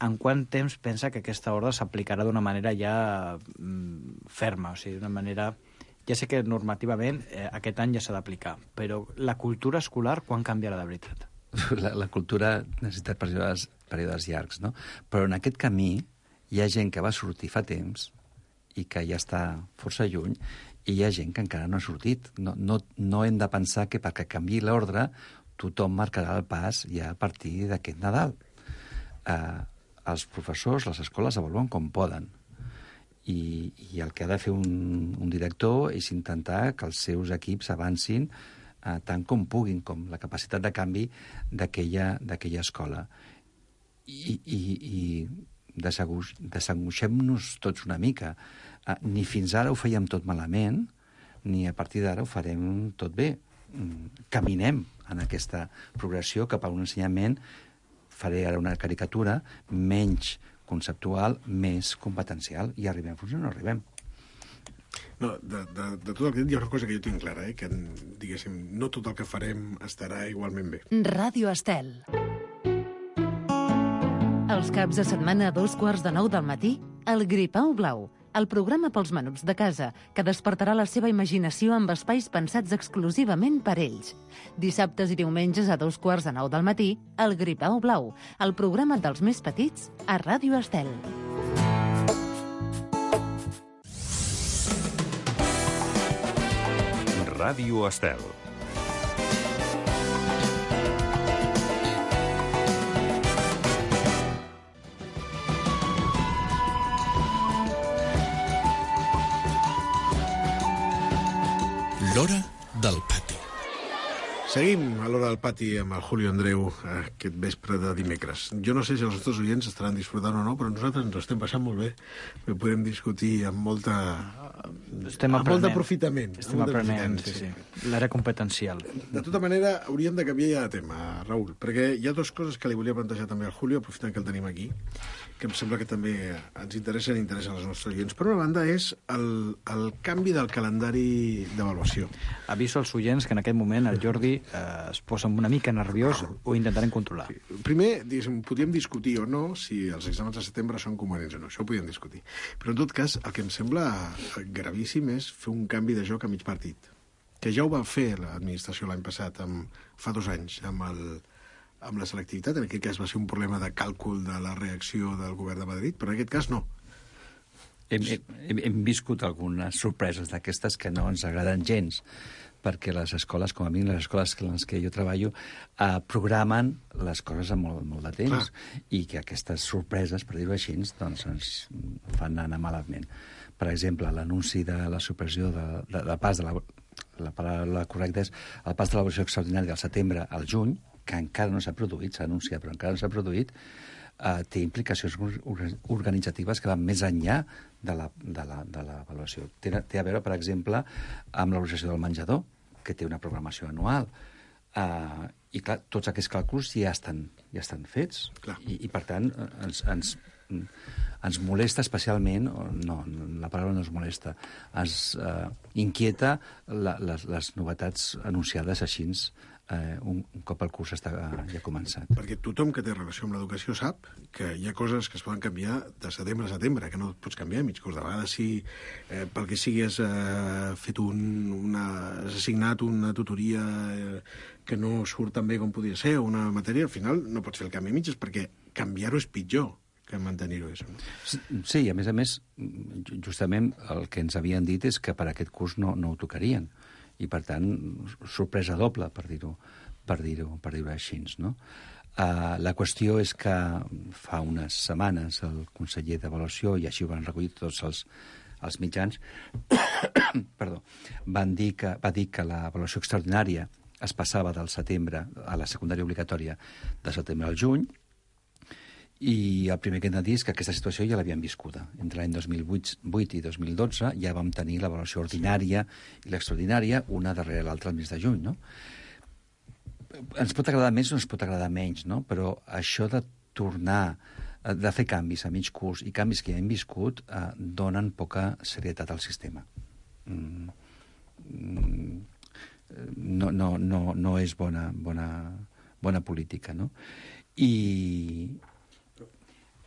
En quant temps pensa que aquesta ordre s'aplicarà d'una manera ja mm, ferma, o sigui, d'una manera... Ja sé que normativament eh, aquest any ja s'ha d'aplicar, però la cultura escolar quan canviarà de veritat? La, la cultura necessita períodes, períodes llargs, no? Però en aquest camí hi ha gent que va sortir fa temps i que ja està força lluny, i hi ha gent que encara no ha sortit. No, no, no hem de pensar que perquè canviï l'ordre tothom marcarà el pas ja a partir d'aquest Nadal. Eh, els professors, les escoles avaluen com poden. I, i el que ha de fer un, un director és intentar que els seus equips avancin eh, tant com puguin, com la capacitat de canvi d'aquella escola. I, i, i desangoixem-nos tots una mica. Eh, ni fins ara ho fèiem tot malament, ni a partir d'ara ho farem tot bé. Caminem en aquesta progressió cap a un ensenyament, faré ara una caricatura, menys conceptual, més competencial, i arribem fins on no arribem. No, de, de, de tot el que he dit hi ha una cosa que jo tinc clara, eh? Que, diguéssim, no tot el que farem estarà igualment bé. Ràdio Estel. Els caps de setmana a dos quarts de nou del matí, el Gripau Blau, el programa pels menuts de casa, que despertarà la seva imaginació amb espais pensats exclusivament per ells. Dissabtes i diumenges a dos quarts de nou del matí, el Gripau Blau, el programa dels més petits a Ràdio Estel. Ràdio Estel. L'hora del pati. Seguim a l'hora del pati amb el Julio Andreu aquest vespre de dimecres. Jo no sé si els nostres oients estaran disfrutant o no, però nosaltres ens estem passant molt bé. Podem discutir amb molta estem amb molt d'aprofitament. Estem aprenent, sí, sí. L'era competencial. De tota manera, hauríem de canviar ja de tema, Raül, perquè hi ha dues coses que li volia plantejar també al Julio, aprofitant que el tenim aquí, que em sembla que també ens interessen i interessen els nostres oients. Per una banda, és el, el canvi del calendari d'avaluació. Aviso als oients que en aquest moment el Jordi eh, es posa una mica nerviós, ho intentarem controlar. Primer, podríem discutir o no si els exàmens de setembre són coherents o no, això ho podríem discutir. Però, en tot cas, el que em sembla gravíssim és fer un canvi de joc a mig partit, que ja ho va fer l'administració l'any passat, amb, fa dos anys, amb, el, amb la selectivitat. En aquest cas va ser un problema de càlcul de la reacció del govern de Madrid, però en aquest cas no. Hem, hem, hem viscut algunes sorpreses d'aquestes que no ens agraden gens, perquè les escoles, com a mínim les escoles en les que jo treballo, eh, programen les coses amb molt, molt de temps. Clar. I que aquestes sorpreses, per dir-ho així, doncs ens fan anar malament. Per exemple, l'anunci de la supressió de, de, de pas de la, la paraula correcta és el pas de l'avaluació extraordinària del setembre al juny, que encara no s'ha produït, s'ha anunciat, però encara no s'ha produït, eh, té implicacions organitzatives que van més enllà de la, de la, de l'avaluació. Té, té a veure, per exemple, amb l'avaluació del menjador, que té una programació anual. Uh, I, clar, tots aquests càlculs ja estan, ja estan fets. I, I, per tant, ens, ens, ens molesta especialment, no, la paraula no es molesta, ens uh, inquieta la, les, les novetats anunciades així eh, un, un cop el curs està ja començat. Perquè tothom que té relació amb l'educació sap que hi ha coses que es poden canviar de setembre a setembre, que no pots canviar a mig curs. De vegades, si eh, pel que sigui has eh, fet un, una, has assignat una tutoria eh, que no surt tan bé com podria ser, o una matèria, al final no pots fer el canvi a mitges, perquè canviar-ho és pitjor que mantenir-ho. Sí, a més a més, justament el que ens havien dit és que per aquest curs no, no ho tocarien. I, per tant, sorpresa doble, per dir-ho per dir-ho per dir-ho així, no? Uh, la qüestió és que fa unes setmanes el conseller d'Avaluació, i així ho van recollir tots els, els mitjans, perdó, van dir que, va dir que l'avaluació extraordinària es passava del setembre a la secundària obligatòria de setembre al juny, i el primer que hem de dir és que aquesta situació ja l'havíem viscuda. Entre l'any dos mil vuit i dos mil dotze ja vam tenir l'avaluació ordinària i l'extraordinària, una darrere l'altra al mes de juny, no? Ens pot agradar més o ens pot agradar menys, no? Però això de tornar, de fer canvis a mig curs i canvis que ja hem viscut, eh, donen poca serietat al sistema. Mm, mm, no, no, no, no és bona, bona, bona política, no? I...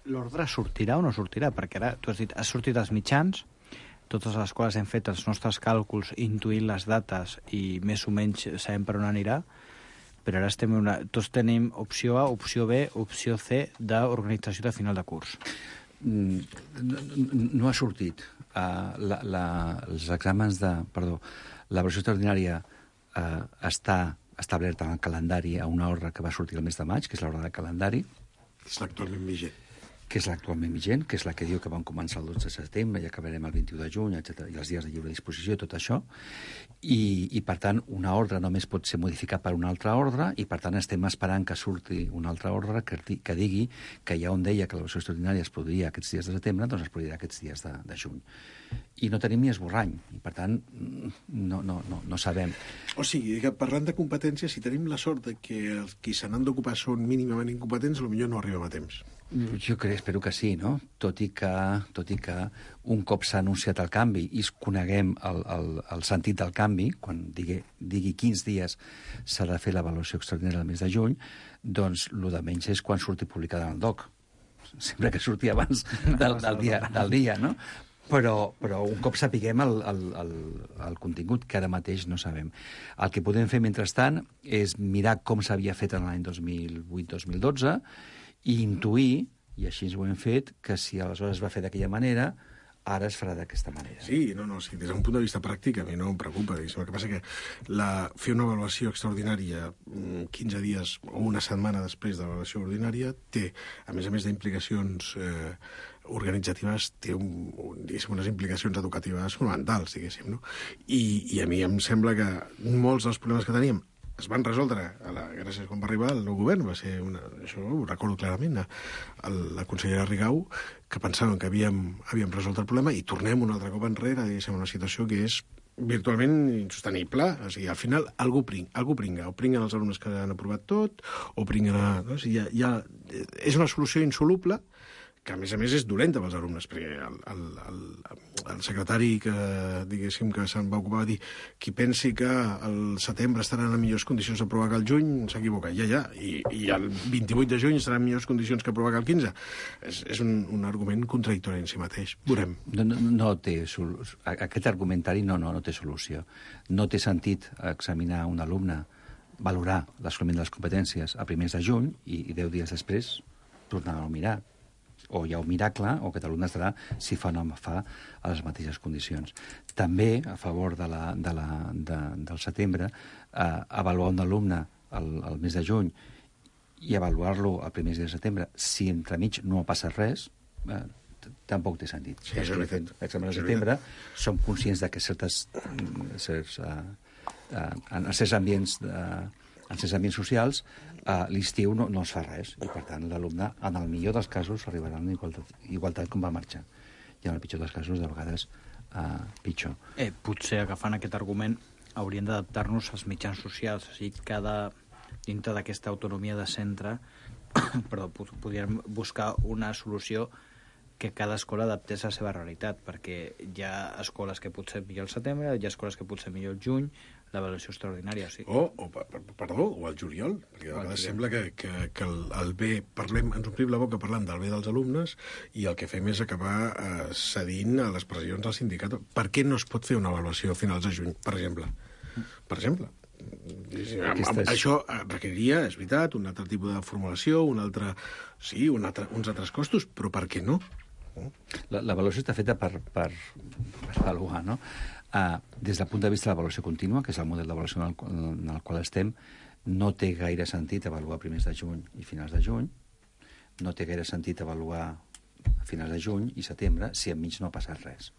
L'ordre sortirà o no sortirà? Perquè ara, tu has dit, ha sortit als mitjans, totes les quals hem fet els nostres càlculs, intuint les dates i més o menys sabem per on anirà, però ara estem una... tots tenim opció A, opció B, opció C d'organització de final de curs. Mm, no, no ha sortit. Uh, la, la, els exàmens de... Perdó, l'avaluació extraordinària uh, està establerta en el calendari a una ordre que va sortir el mes de maig, que és l'ordre de calendari. És l'actualment vigent. Que és l'actualment vigent, que és la que diu que vam començar el dotze de setembre i acabarem el vint-i-u de juny, etcètera, i els dies de lliure disposició, tot això. I, i, per tant, una ordre només pot ser modificat per una altra ordre i, per tant, estem esperant que surti una altra ordre que, que digui que ja on deia que l'avaluació extraordinària es produiria aquests dies de setembre, doncs es produirà aquests dies de, de juny. I no tenim ni esborrany, i, per tant, no, no, no, no sabem. O sigui, que parlant de competències, si tenim la sort de que els qui se n'han d'ocupar són mínimament incompetents, potser no arribem a temps. Jo crec, espero que sí, no? Tot i que, tot i que un cop s'ha anunciat el canvi i coneguem el, el, el sentit del canvi, quan digui, digui quins dies s'ha de fer l'avaluació extraordinària del mes de juny, doncs el de menys és quan surti publicada en el D O C. Sempre que surti abans del, del, dia, del dia, no? Però, però un cop sapiguem el, el, el, el contingut, que ara mateix no sabem. El que podem fer, mentrestant, és mirar com s'havia fet en l'any dos mil vuit dos mil dotze i intuir, i així ho hem fet, que si aleshores es va fer d'aquella manera, ara es farà d'aquesta manera. Sí, no, no, sí, des d'un punt de vista pràctic a mi no em preocupa. El que passa que la, fer una avaluació extraordinària quinze dies o una setmana després de l'avaluació ordinària té, a més a més d'implicacions eh, organitzatives, té un, un, diguéssim, unes implicacions educatives fonamentals, diguéssim, no? I, I a mi em sembla que molts dels problemes que teníem es van resoldre, a la, gràcies quan va arribar el nou govern, va ser una, això ho recordo clarament, el, la consellera Rigau, que pensaven que havíem, havíem resolt el problema i tornem un altre cop enrere, diguéssim, una situació que és virtualment insostenible. O sigui, al final algú, pring, algú pringa, o pringuen els alumnes que han aprovat tot, o pringuen... A, no? O sigui, ja, ja, és una solució insoluble, que a més a més és dolenta pels alumnes, perquè el, el, el, el secretari que, diguéssim, que se'n va ocupar va dir qui pensi que al setembre estaran en millors condicions d'aprovar que al juny s'equivoca. Ja, ja, i, i el vint-i-vuit de juny estaran en millors condicions que aprovar que el quinze. És, és un, un argument contradictori en si mateix. Veurem. No, no, no té solució. Aquest argumentari no, no, no té solució. No té sentit examinar un alumne, valorar l'assoliment de les competències a primers de juny i, i deu dies després tornar a mirar. O hi ha un miracle, o que l'alumne estarà, si fa o no fa, a les mateixes condicions. També, a favor de la, de la, de, del setembre, eh, avaluar un alumne el, el mes de juny i avaluar-lo al primer dia de setembre, si entremig no ha passat res, eh, tampoc té sentit. Sí, és veritat. L'examen de setembre, som conscients de que certes, certs, uh, uh, en certs ambients de, en certs ambients socials, uh, l'estiu no, no es fa res, i per tant l'alumne, en el millor dels casos, arribarà a la igualtat, igualtat com va marxar. I en el pitjor dels casos, de vegades, uh, pitjor. Eh, potser, agafant aquest argument, hauríem d'adaptar-nos als mitjans socials, o sigui, cada, dintre d'aquesta autonomia de centre, perdó, podríem buscar una solució que cada escola adaptés a la seva realitat, perquè hi ha escoles que potser millor al setembre, hi ha escoles que potser millor al juny, l'avaluació extraordinària. Sí. O, o, perdó, o al juliol, perquè a vegades sembla que, que, que el, el bé, parlem, ens omplim la boca parlant del bé dels alumnes i el que fem és acabar eh, cedint a les pressions del sindicat. Per què no es pot fer una avaluació a finals de juny, per exemple? Per exemple. Aquestes... Això requeriria, és veritat, un altre tipus de formulació, un altre, sí, un altre, uns altres costos, però per què no? L'avaluació està feta per, per, per avaluar, no? Uh, des del punt de vista de l'avaluació contínua, que és el model d'avaluació en, el, en el qual estem, no té gaire sentit avaluar primers de juny i finals de juny, no té gaire sentit avaluar a finals de juny i setembre si enmig no ha passat res.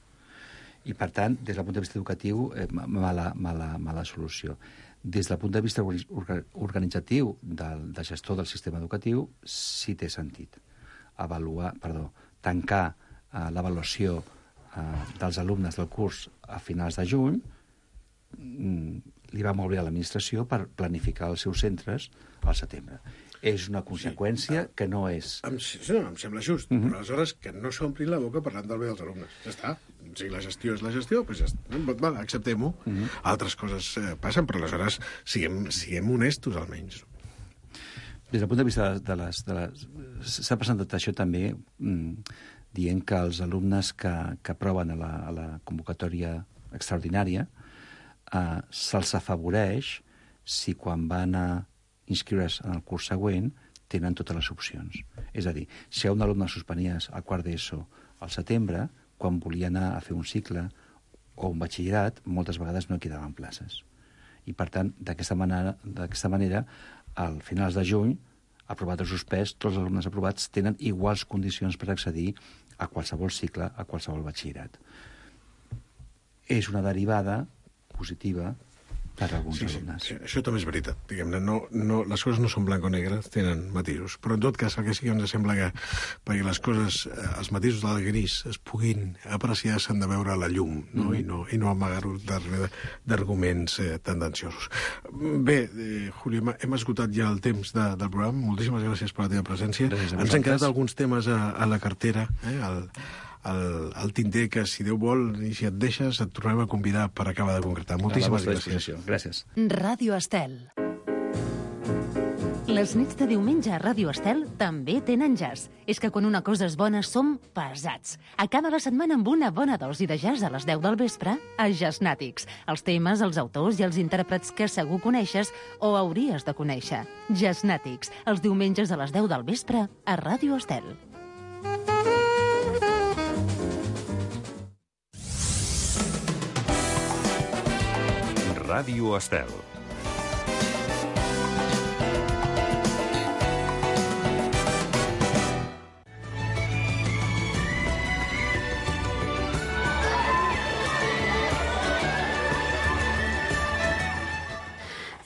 I, per tant, des del punt de vista educatiu, eh, mala, mala, mala solució. Des del punt de vista organitzatiu del, del gestor del sistema educatiu, sí té sentit avaluar, perdó, tancar eh, l'avaluació eh, dels alumnes del curs a finals de juny, mm, li va molt bé a l'administració per planificar els seus centres al setembre. És una conseqüència sí, que no és... Em, sí, no, em sembla just, uh-huh. però aleshores que no s'ompli la boca parlant del bé dels alumnes. Ja està. Si la gestió és la gestió, doncs ja està. Va, acceptem-ho. Uh-huh. Altres coses eh, passen, però aleshores siguem, siguem honestos, almenys. Des del punt de vista de les... De les s'ha presentat això també mm, dient que els alumnes que, que aproven a la, a la convocatòria extraordinària eh, se'ls afavoreix si quan van a inscriure's en el curs següent tenen totes les opcions. És a dir, si un alumne suspenies al quart d'ESO al setembre, quan volia anar a fer un cicle o un batxillerat, moltes vegades no quedaven places. I, per tant, d'aquesta manera, d'aquesta manera, al finals de juny, aprovat o suspès, tots els alumnes aprovats tenen iguals condicions per accedir a qualsevol cicle, a qualsevol batxillerat. És una derivada positiva per a alguns sí, alumnes. Sí, això també és veritat. Diguem-ne, no, no, les coses no són blanc o negre, tenen matisos. Però en tot cas, el que sí que ens sembla que perquè les coses, els matisos del gris es puguin apreciar, s'han de veure a la llum, no? Mm-hmm. I no, i no amagar-ho darrere d'arguments eh, tendenciosos. Bé, eh, Julio, hem esgotat ja el temps de, del programa. Moltíssimes gràcies per la teva presència. Ens han quedat alguns temes a, a la cartera, eh, al... El, el tinter que, si Déu vol, i si et deixes, et tornarem a convidar per acabar de concretar. Moltíssimes gràcies. Gràcies. Ràdio Estel. Les nits de diumenge a Ràdio Estel també tenen jazz. És que quan una cosa és bona som pesats. Acaba la setmana amb una bona dosi de jazz a les deu del vespre a Jazznàtics. Els temes, els autors i els intèrprets que segur coneixes o hauries de conèixer. Jazznàtics, els diumenges a les deu del vespre a Ràdio Estel. Ràdio Estel.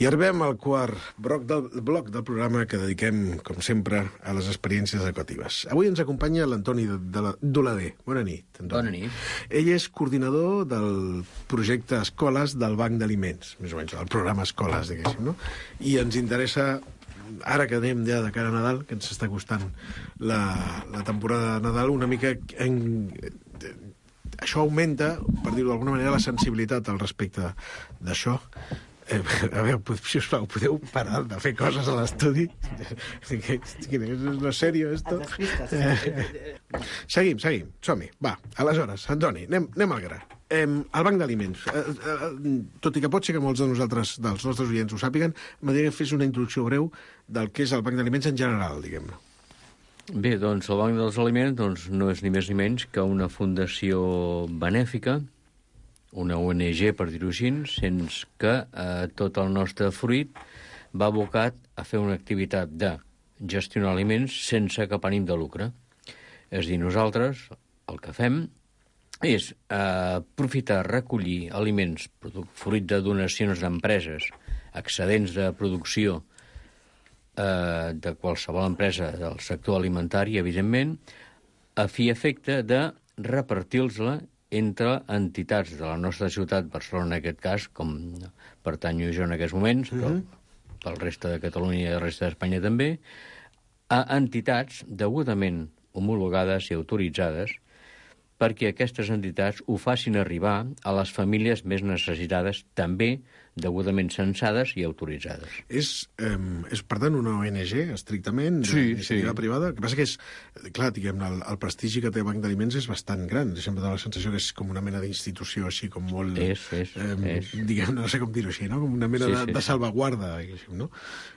I arribem al quart bloc del, bloc del programa que dediquem, com sempre, a les experiències educatives. Avui ens acompanya l'Antoni Dolader. Bona nit, Antoni. Bona nit. Ell és coordinador del projecte Escoles del Banc d'Aliments, més o menys, el programa Escoles, diguéssim, no? I ens interessa, ara que anem ja de cara a Nadal, que ens està costant la, la temporada de Nadal, una mica en... Això augmenta, per dir-ho d'alguna manera, la sensibilitat al respecte d'això. Eh, a veure, sisplau, podeu parar de fer coses a l'estudi? No és sèrio, esto? Eh, seguim, seguim, som-hi. Va, aleshores, Antoni, anem, anem al gra. Eh, el banc d'aliments. Eh, eh, tot i que pot ser que molts de nosaltres, dels nostres oients, ho sàpiguen, m'agradaria que fes una introducció breu del que és el banc d'aliments en general, diguem-ne. Bé, doncs el Banc dels Aliments doncs, no és ni més ni menys que una fundació benèfica, una O N G, per dir-ho així, sense que eh, tot el nostre fruit va abocat a fer una activitat de gestionar aliments sense cap ànim de lucre. És a dir, nosaltres el que fem és eh, aprofitar, recollir aliments, fruit de donacions d'empreses, excedents de producció eh, de qualsevol empresa del sector alimentari, evidentment, a fi i efecte de repartir-los-la entre entitats de la nostra ciutat, Barcelona en aquest cas, com pertanyo jo en aquests moments, però mm-hmm. pel reste de Catalunya i el reste d'Espanya també, a entitats degudament homologades i autoritzades perquè aquestes entitats ho facin arribar a les famílies més necessitades, també degudament censades i autoritzades. És, eh, és per tant, una O N G, estrictament, sí, d'iniciativa sí. privada? El que passa que és, clar, diguem, el, el prestigi que té el Banc d'Aliments és bastant gran. Sempre dona la sensació que és com una mena d'institució així, com molt... És, és, eh, és. Diguem, no sé com dir-ho així, no? Com una mena sí, de, sí, de salvaguarda, diguéssim, no?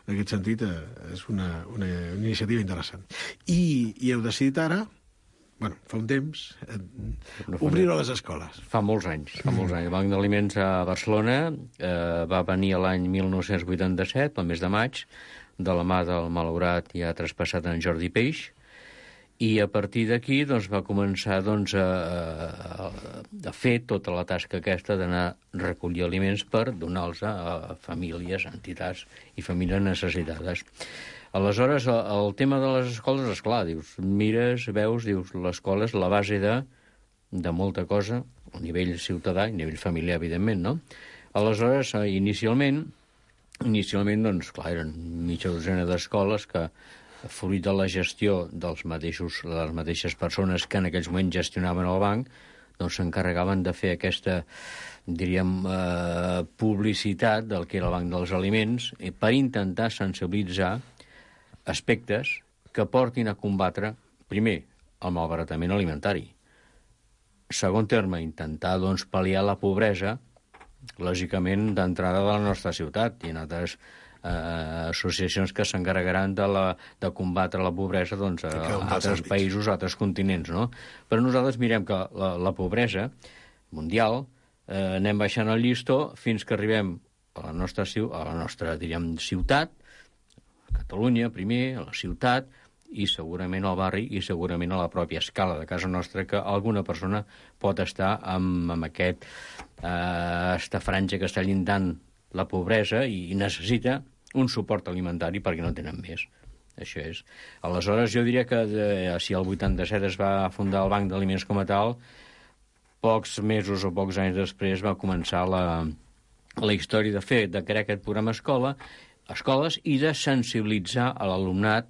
En aquest sentit, eh, és una, una, una iniciativa interessant. I, i heu decidit ara... Bueno, fa un temps, eh, no obrir-ho a les escoles. Fa molts anys, fa molts anys. El Banc d'Aliments a Barcelona eh, va venir l'any mil nou-cents vuitanta-set, al mes de maig, de la mà del malaurat i ha traspassat en Jordi Peix, i a partir d'aquí doncs, va començar doncs, a, a, a fer tota la tasca aquesta d'anar a recollir aliments per donar-los a, a famílies, entitats i famílies necessitades. Aleshores, el, el tema de les escoles, esclar, dius, mires, veus, dius, l'escola és la base de, de molta cosa, a nivell ciutadà i a nivell familiar, evidentment, no? Aleshores, inicialment, inicialment, doncs, clar, eren mitja dosena d'escoles que, fruit de la gestió dels mateixos, de les mateixes persones que en aquells moments gestionaven el banc, doncs s'encarregaven de fer aquesta, diríem, eh, publicitat del que era el Banc dels Aliments eh, per intentar sensibilitzar aspectes que portin a combatre, primer, el malbaratament alimentari. Segon terme, intentar, doncs, pal·liar la pobresa, lògicament, d'entrada de la nostra ciutat i en altres eh, associacions que s'encarregaran de, la, de combatre la pobresa doncs, a, a altres països, a altres continents, no? Però nosaltres mirem que la, la pobresa mundial eh, anem baixant el llistó fins que arribem a la nostra, a la nostra diríem, ciutat, Catalunya, primer, a la ciutat, i segurament al barri i segurament a la pròpia escala de casa nostra, que alguna persona pot estar amb, amb aquest, eh, esta franja que està llindant la pobresa i, i necessita un suport alimentari perquè no tenen més. Això és. Aleshores, jo diria que de, si el vuitanta-set es va fundar el Banc d'Aliments com a tal, pocs mesos o pocs anys després va començar la, la història de fer, de crear aquest programa escola, escoles i de sensibilitzar a l'alumnat,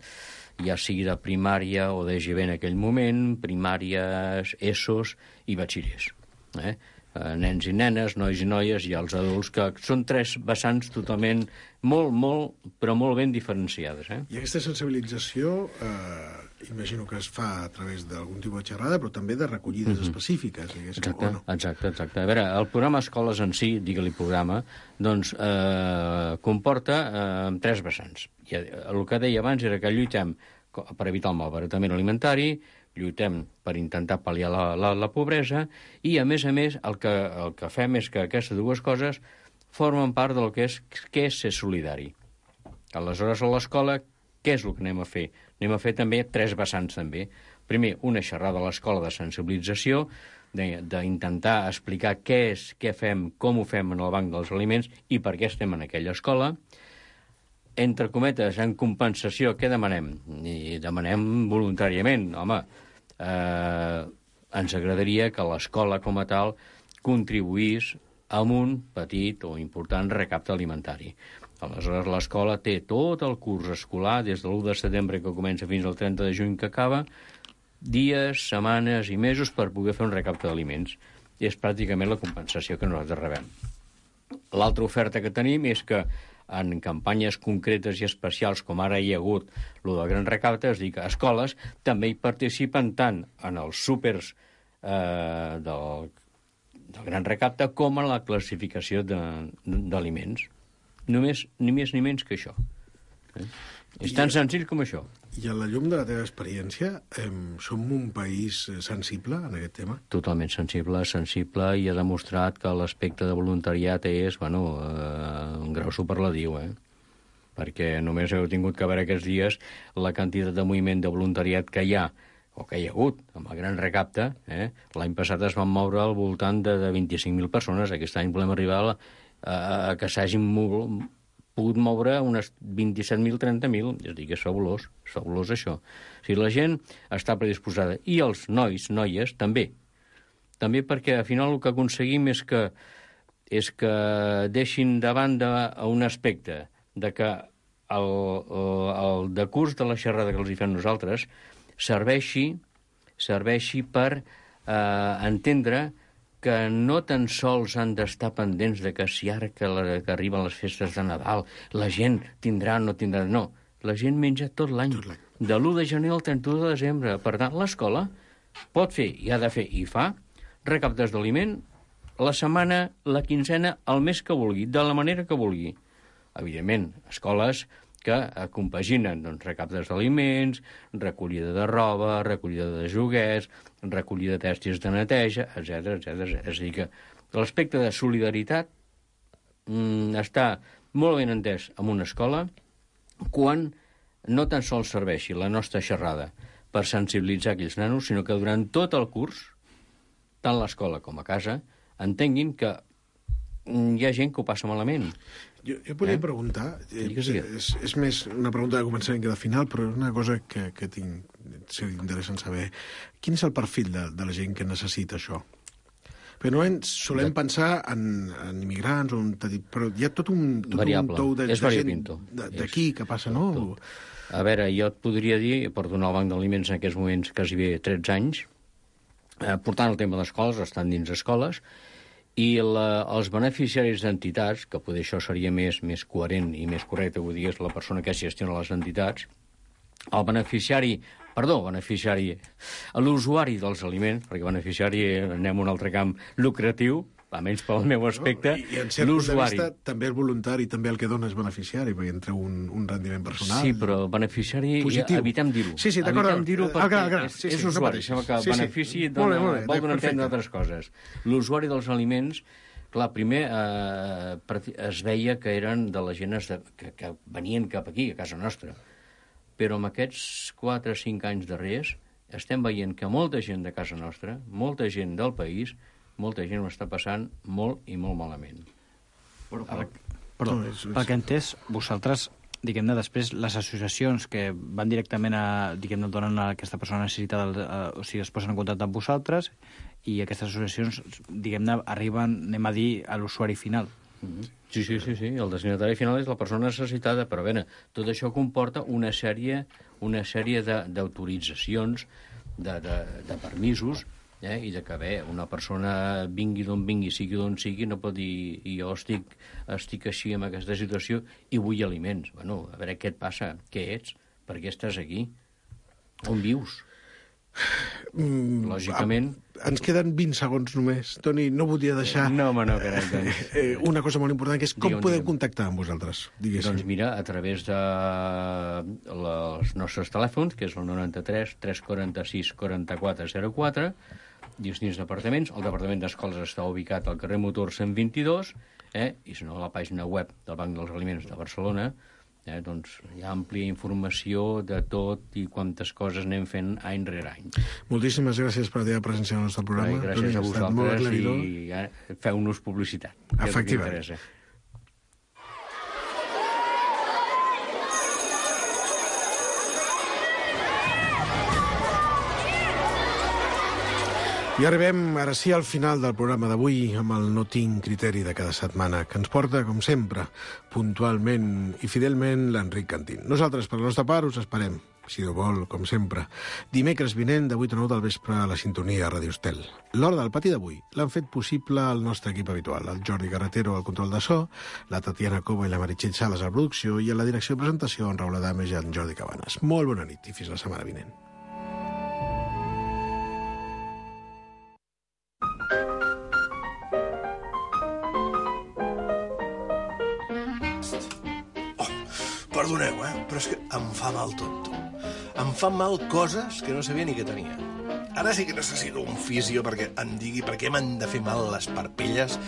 ja sigui de primària o de G B en aquell moment, primàries, ESOs i batxillers. Eh? Nens i nenes, nois i noies i els adults, que són tres vessants totalment molt, molt, però molt ben diferenciades. Eh? I aquesta sensibilització, eh, imagino que es fa a través d'algun tipus de xerrada, però també de recollides mm-hmm. específiques, exacte, o no? Exacte, exacte. A veure, el programa Escoles en si, digue-li programa, doncs eh, comporta eh, tres vessants. I el que deia abans era que lluitem per evitar el malbaratament alimentari, lluitem per intentar pal·liar la, la, la pobresa i, a més a més, el que, el que fem és que aquestes dues coses formen part del que és, que és ser solidari. Aleshores, a l'escola, què és el que anem a fer? Anem a fer també tres vessants, també. Primer, una xerrada a l'escola de sensibilització, d'intentar explicar què és, què fem, com ho fem en el Banc dels Aliments i per què estem en aquella escola. Entre cometes, en compensació, què demanem? I demanem voluntàriament. Home, eh, ens agradaria que l'escola com a tal contribuís amb un petit o important recapte alimentari. Aleshores, l'escola té tot el curs escolar, des de l'u de setembre que comença fins al trenta de juny que acaba, dies, setmanes i mesos per poder fer un recapte d'aliments. I és pràcticament la compensació que nosaltres rebem. L'altra oferta que tenim és que en campanyes concretes i especials, com ara hi ha hagut el del Gran Recapte, és dir, que escoles també hi participen tant en els súpers eh, del, del Gran Recapte com en la classificació d'aliments. Només, ni més ni menys que això. Eh? És tan senzill com això. I a la llum de la teva experiència, eh, som un país sensible en aquest tema? Totalment sensible, sensible, i ha demostrat que l'aspecte de voluntariat és, bueno, eh, un grau superlatiu, eh? Perquè només heu tingut que veure aquests dies la quantitat de moviment de voluntariat que hi ha, o que hi ha hagut, amb el Gran Recapte. Eh? L'any passat es van moure al voltant de, de vint-i-cinc mil persones. Aquest any volem arribar a, a, a que s'hagin mogut pogut moure unes vint-i-set mil, trenta mil, és a dir, que és fabulós, és fabulós això. O sigui, la gent està predisposada, i els nois, noies, també. També perquè, al final, el que aconseguim és que, és que deixin de banda a un aspecte de que el, el, el decurs de la xerrada que els hi fem nosaltres serveixi, serveixi per eh, entendre que no tan sols han d'estar pendents de que si ara que, la, que arriben les festes de Nadal la gent tindrà o no tindrà... No, la gent menja tot l'any, de l'u de gener al trenta-u de desembre. Per tant, l'escola pot fer, i ha de fer, i fa, recaptes d'aliment la setmana, la quinzena, el mes que vulgui, de la manera que vulgui. Evidentment, escoles que compaginen doncs, recaptes d'aliments, recollida de roba, recollida de joguets, recollida de tèxtils de neteja, etcètera, etcètera. És a dir, que l'aspecte de solidaritat mm, està molt ben entès en una escola quan no tan sols serveixi la nostra xerrada per sensibilitzar aquells nanos, sinó que durant tot el curs, tant l'escola com a casa, entenguin que hi ha gent que ho passa malament. Jo, jo podria eh? preguntar, eh, és, és més una pregunta de començament que de final, però és una cosa que, que tinc, seria interessant saber. Quin és el perfil de, de la gent que necessita això? Perquè normalment solem de... pensar en, en immigrants, on, però hi ha tot un, tot variable. un tou de, és de gent d'aquí que passa, no? Tot. A veure, jo et podria dir, per donar al Banc d'Aliments en aquests moments quasi bé tretze anys, eh, portant el tema d'escoles, estan dins escoles, i la, els beneficiaris d'entitats, que poder això seria més, més coherent i més correcte, vull dir, és la persona que gestiona les entitats, el beneficiari, perdó, beneficiari, l'usuari dels aliments, perquè beneficiari anem a un altre camp lucratiu, almenys pel meu aspecte, no, i en cert punt de vista, també el voluntari, també el que dona és beneficiari, perquè entra un, un rendiment personal. Sí, però beneficiari, positiu. Evitem dir-ho. Sí, sí, d'acord. Evitem dir-ho perquè al gra, és, sí, sí, és usuari, no sembla que el sí, benefici sí. dona, molt bé, molt bé, vol donar a entendre altres coses. L'usuari dels aliments, clar, primer eh, es veia que eren de la gent de, que, que venien cap aquí, a casa nostra. Però amb aquests quatre o cinc anys darrers estem veient que molta gent de casa nostra, molta gent del país, molta gent ho està passant molt i molt malament. Però, per, però pel que he entès, vosaltres, diguem-ne, després, les associacions que van directament a, diguem-ne, donen a aquesta persona necessitada, a, o sigui, es posen en contacte amb vosaltres, i aquestes associacions, diguem-ne, arriben, anem a dir, a l'usuari final. Sí, sí, sí, sí, el destinatari final és la persona necessitada, però bé, tot això comporta una sèrie, una sèrie d'autoritzacions, de, de, de permisos, eh? I de que, bé, una persona vingui d'on vingui, sigui d'on sigui, no pot dir, i jo estic, estic així en aquesta situació i vull aliments. Bueno, a veure què et passa, què ets, per què estàs aquí, on vius? Mm, Lògicament... Ens queden vint segons només. Toni, no volia deixar... No, home, no, carai, doncs... Eh, una cosa molt important, que és com digue'm, podem digue'm. contactar amb vosaltres, diguéssim. Doncs mira, a través de els nostres telèfons, que és el noranta-tres tres quaranta-sis quaranta-quatre zero quatre, dins dins departaments. El departament d'escoles està ubicat al carrer Motor cent vint-i-dos, eh? I si no, a la pàgina web del Banc dels Aliments de Barcelona, Eh? Doncs hi ha àmplia informació de tot i quantes coses anem fent any rere any. Moltíssimes gràcies per la teva presència al nostre programa. Ai, gràcies a vosaltres i ja, feu-nos publicitat. Efectivament. I arribem, ara sí, al final del programa d'avui amb el No tinc criteri de cada setmana, que ens porta, com sempre, puntualment i fidelment l'Enric Cantín. Nosaltres, per la nostra part, us esperem, si ho vol, com sempre, dimecres vinent de vuit a nou del vespre a la sintonia a Ràdio Estel. L'hora del pati d'avui l'han fet possible el nostre equip habitual, el Jordi Carretero al control de so, la Tatiana Cova i la Meritxell Sales a la producció i a la direcció de presentació en Raül Adames i en Jordi Cabanes. Molt bona nit i fins la setmana vinent. Perdoneu, eh? Però és que em fa mal tot, tu. Em fan mal coses que no sabia ni que tenia. Ara sí que necessito un fisio perquè em digui per què m'han de fer mal les parpelles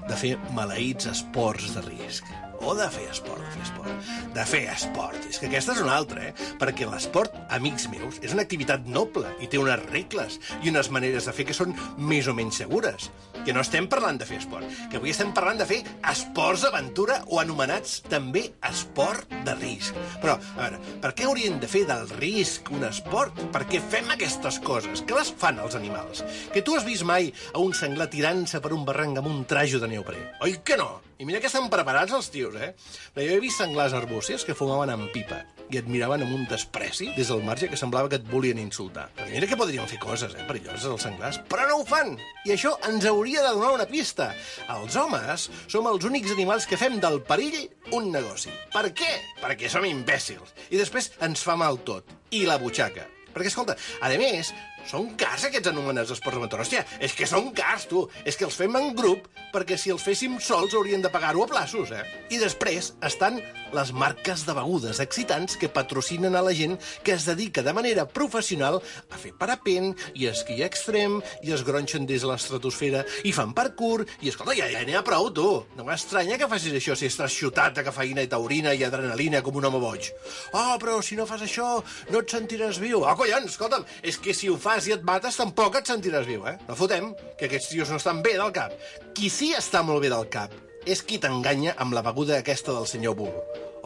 de fer maleïts esports de risc. O de fer esport, de fer esport. De fer esport. És que aquesta és una altra, eh? Perquè l'esport, amics meus, és una activitat noble i té unes regles i unes maneres de fer que són més o menys segures. Que no estem parlant de fer esport, que avui estem parlant de fer esports d'aventura o anomenats també esport de risc. Però, a veure, per què haurien de fer del risc un esport? Per què fem aquestes coses? Què les fan els animals? Que tu has vist mai a un senglar tirant-se per un barranc amb un trajo de neoprè? Oi que no? I mira que estan preparats els tios, eh? Jo he vist senglars arbúcies que fumaven amb pipa i et miraven amb un despreci des del marge que semblava que et volien insultar. Però mira que podrien fer coses, eh, perilloses els senglars, però no ho fan! I això ens hauria de donar una pista. Els homes som els únics animals que fem del perill un negoci. Per què? Perquè som imbècils. I després ens fa mal tot. I la butxaca. Perquè, escolta, a més, són cars aquests anomenats esports d'aventura. Hòstia, és que són cars, tu. És que els fem en grup perquè si els féssim sols hauríem de pagar-ho a plaços, eh? I després estan les marques de begudes excitants que patrocinen a la gent que es dedica de manera professional a fer parapent i esquí extrem i es gronxen des de l'estratosfera i fan parkour i, escolta, ja, ja n'hi ha prou, tu. No m'estranya que facis això si estàs xutat de cafeïna i taurina i adrenalina com un home boig. Oh, però si no fas això no et sentiràs viu. Oh, collons, escolta'm, és que si ho fas i et mates tampoc et sentiràs viu, eh? No fotem, que aquests tios no estan bé del cap. Qui sí està molt bé del cap és qui t'enganya amb la beguda aquesta del senyor Bull.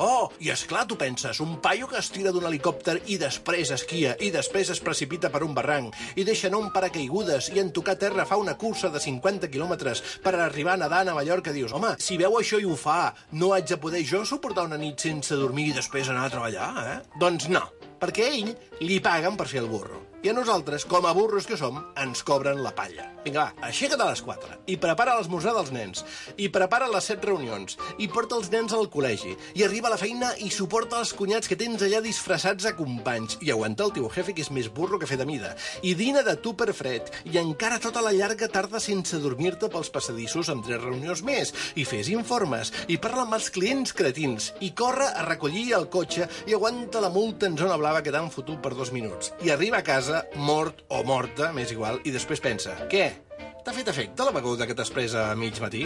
Oh, i esclar, tu penses, un paio que es tira d'un helicòpter i després esquia i després es precipita per un barranc i deixa anar un paracaigudes i en tocar terra fa una cursa de cinquanta quilòmetres per arribar nedant a Mallorca, dius, home, si veu això i ho fa, no haig de poder jo suportar una nit sense dormir i després anar a treballar, eh? Doncs no, perquè a ell li paguen per fer el burro. I a nosaltres, com a burros que som, ens cobren la palla. Vinga, va, aixeca't a les quatre i prepara l'esmorzar dels nens, i prepara les set reunions, i porta els nens al col·legi, i arriba a la feina i suporta els cunyats que tens allà disfressats a companys, i aguanta el teu jefe que és més burro que fer de mida, i dina de tu per fred, i encara tota la llarga tarda sense dormir-te pels passadissos amb tres reunions més, i fes informes, i parla amb els clients cretins, i corre a recollir el cotxe i aguanta la multa en zona blava que t'han fotut per dos minuts, i arriba a casa mort o morta, m'és igual, i després pensa, què? T'ha fet efecte la beguda que t'has pres a mig matí?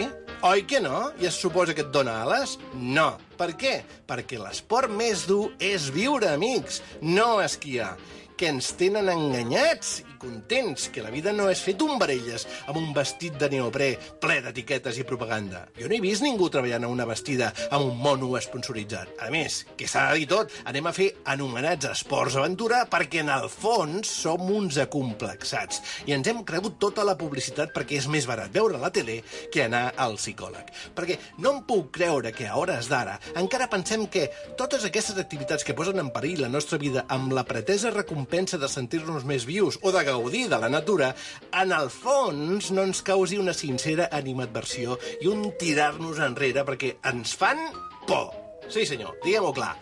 Oi que no? I es suposa que et dona ales? No. Per què? Perquè l'esport més dur és viure, amics, no esquiar. Que ens tenen enganyats i contents, que la vida no és fer tombarelles amb un vestit de neoprè ple d'etiquetes i propaganda. Jo no he vist ningú treballant a una vestida amb un mono esponsoritzat. A més, que s'ha de dir tot, anem a fer anomenats esports aventura perquè en el fons som uns acomplexats i ens hem cregut tota la publicitat perquè és més barat veure la tele que anar al psicòleg. Perquè no em puc creure que a hores d'ara encara pensem que totes aquestes activitats que posen en perill la nostra vida amb la pretesa recompensa de sentir-nos més vius o de gaudir de la natura, en el fons no ens causi una sincera animadversió i un tirar-nos enrere perquè ens fan por. Sí, senyor, diguem-ho clar,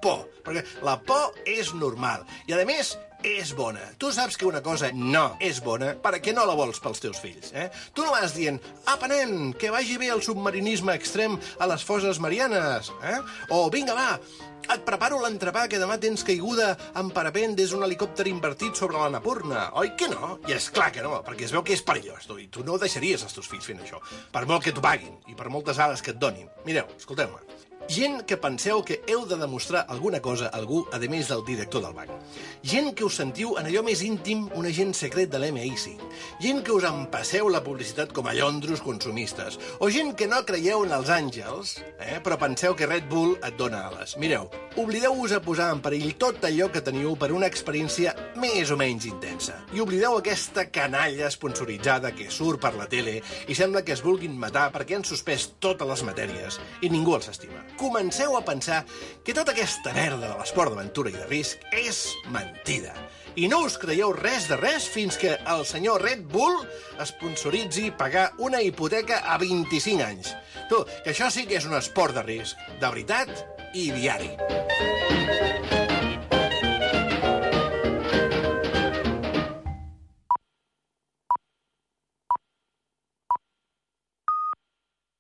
por. Perquè la por és normal i, a més, és bona. Tu saps que una cosa no és bona perquè no la vols pels teus fills, eh? Tu no vas dient, apa, nen, que vagi bé el submarinisme extrem a les fosses marianes, eh? O, vinga, va, et preparo l'entrepà que demà tens caiguda amb parapent des d'un helicòpter invertit sobre la Napurna. Oi que no? I és clar que no, perquè es veu que és perillós, tu, i tu no deixaries els teus fills fent això, per molt que t'ho paguin i per moltes ales que et donin. Mireu, escolteu-me, Gent que penseu que heu de demostrar alguna cosa a algú, a més del director del banc. Gent que us sentiu en allò més íntim un agent secret de l'M I cinc. Gent que us empasseu la publicitat com a llondros consumistes. O gent que no creieu en els àngels, eh, però penseu que Red Bull et dona ales. Mireu, oblideu-vos a posar en perill tot allò que teniu per una experiència més o menys intensa. I oblideu aquesta canalla sponsoritzada que surt per la tele i sembla que es vulguin matar perquè han suspès totes les matèries i ningú els estima. Comenceu a pensar que tota aquesta merda de l'esport d'aventura i de risc és mentida. I no us creieu res de res fins que el senyor Red Bull sponsoritzi pagar una hipoteca a vint-i-cinc anys. Tu, que això sí que és un esport de risc, de veritat i diari.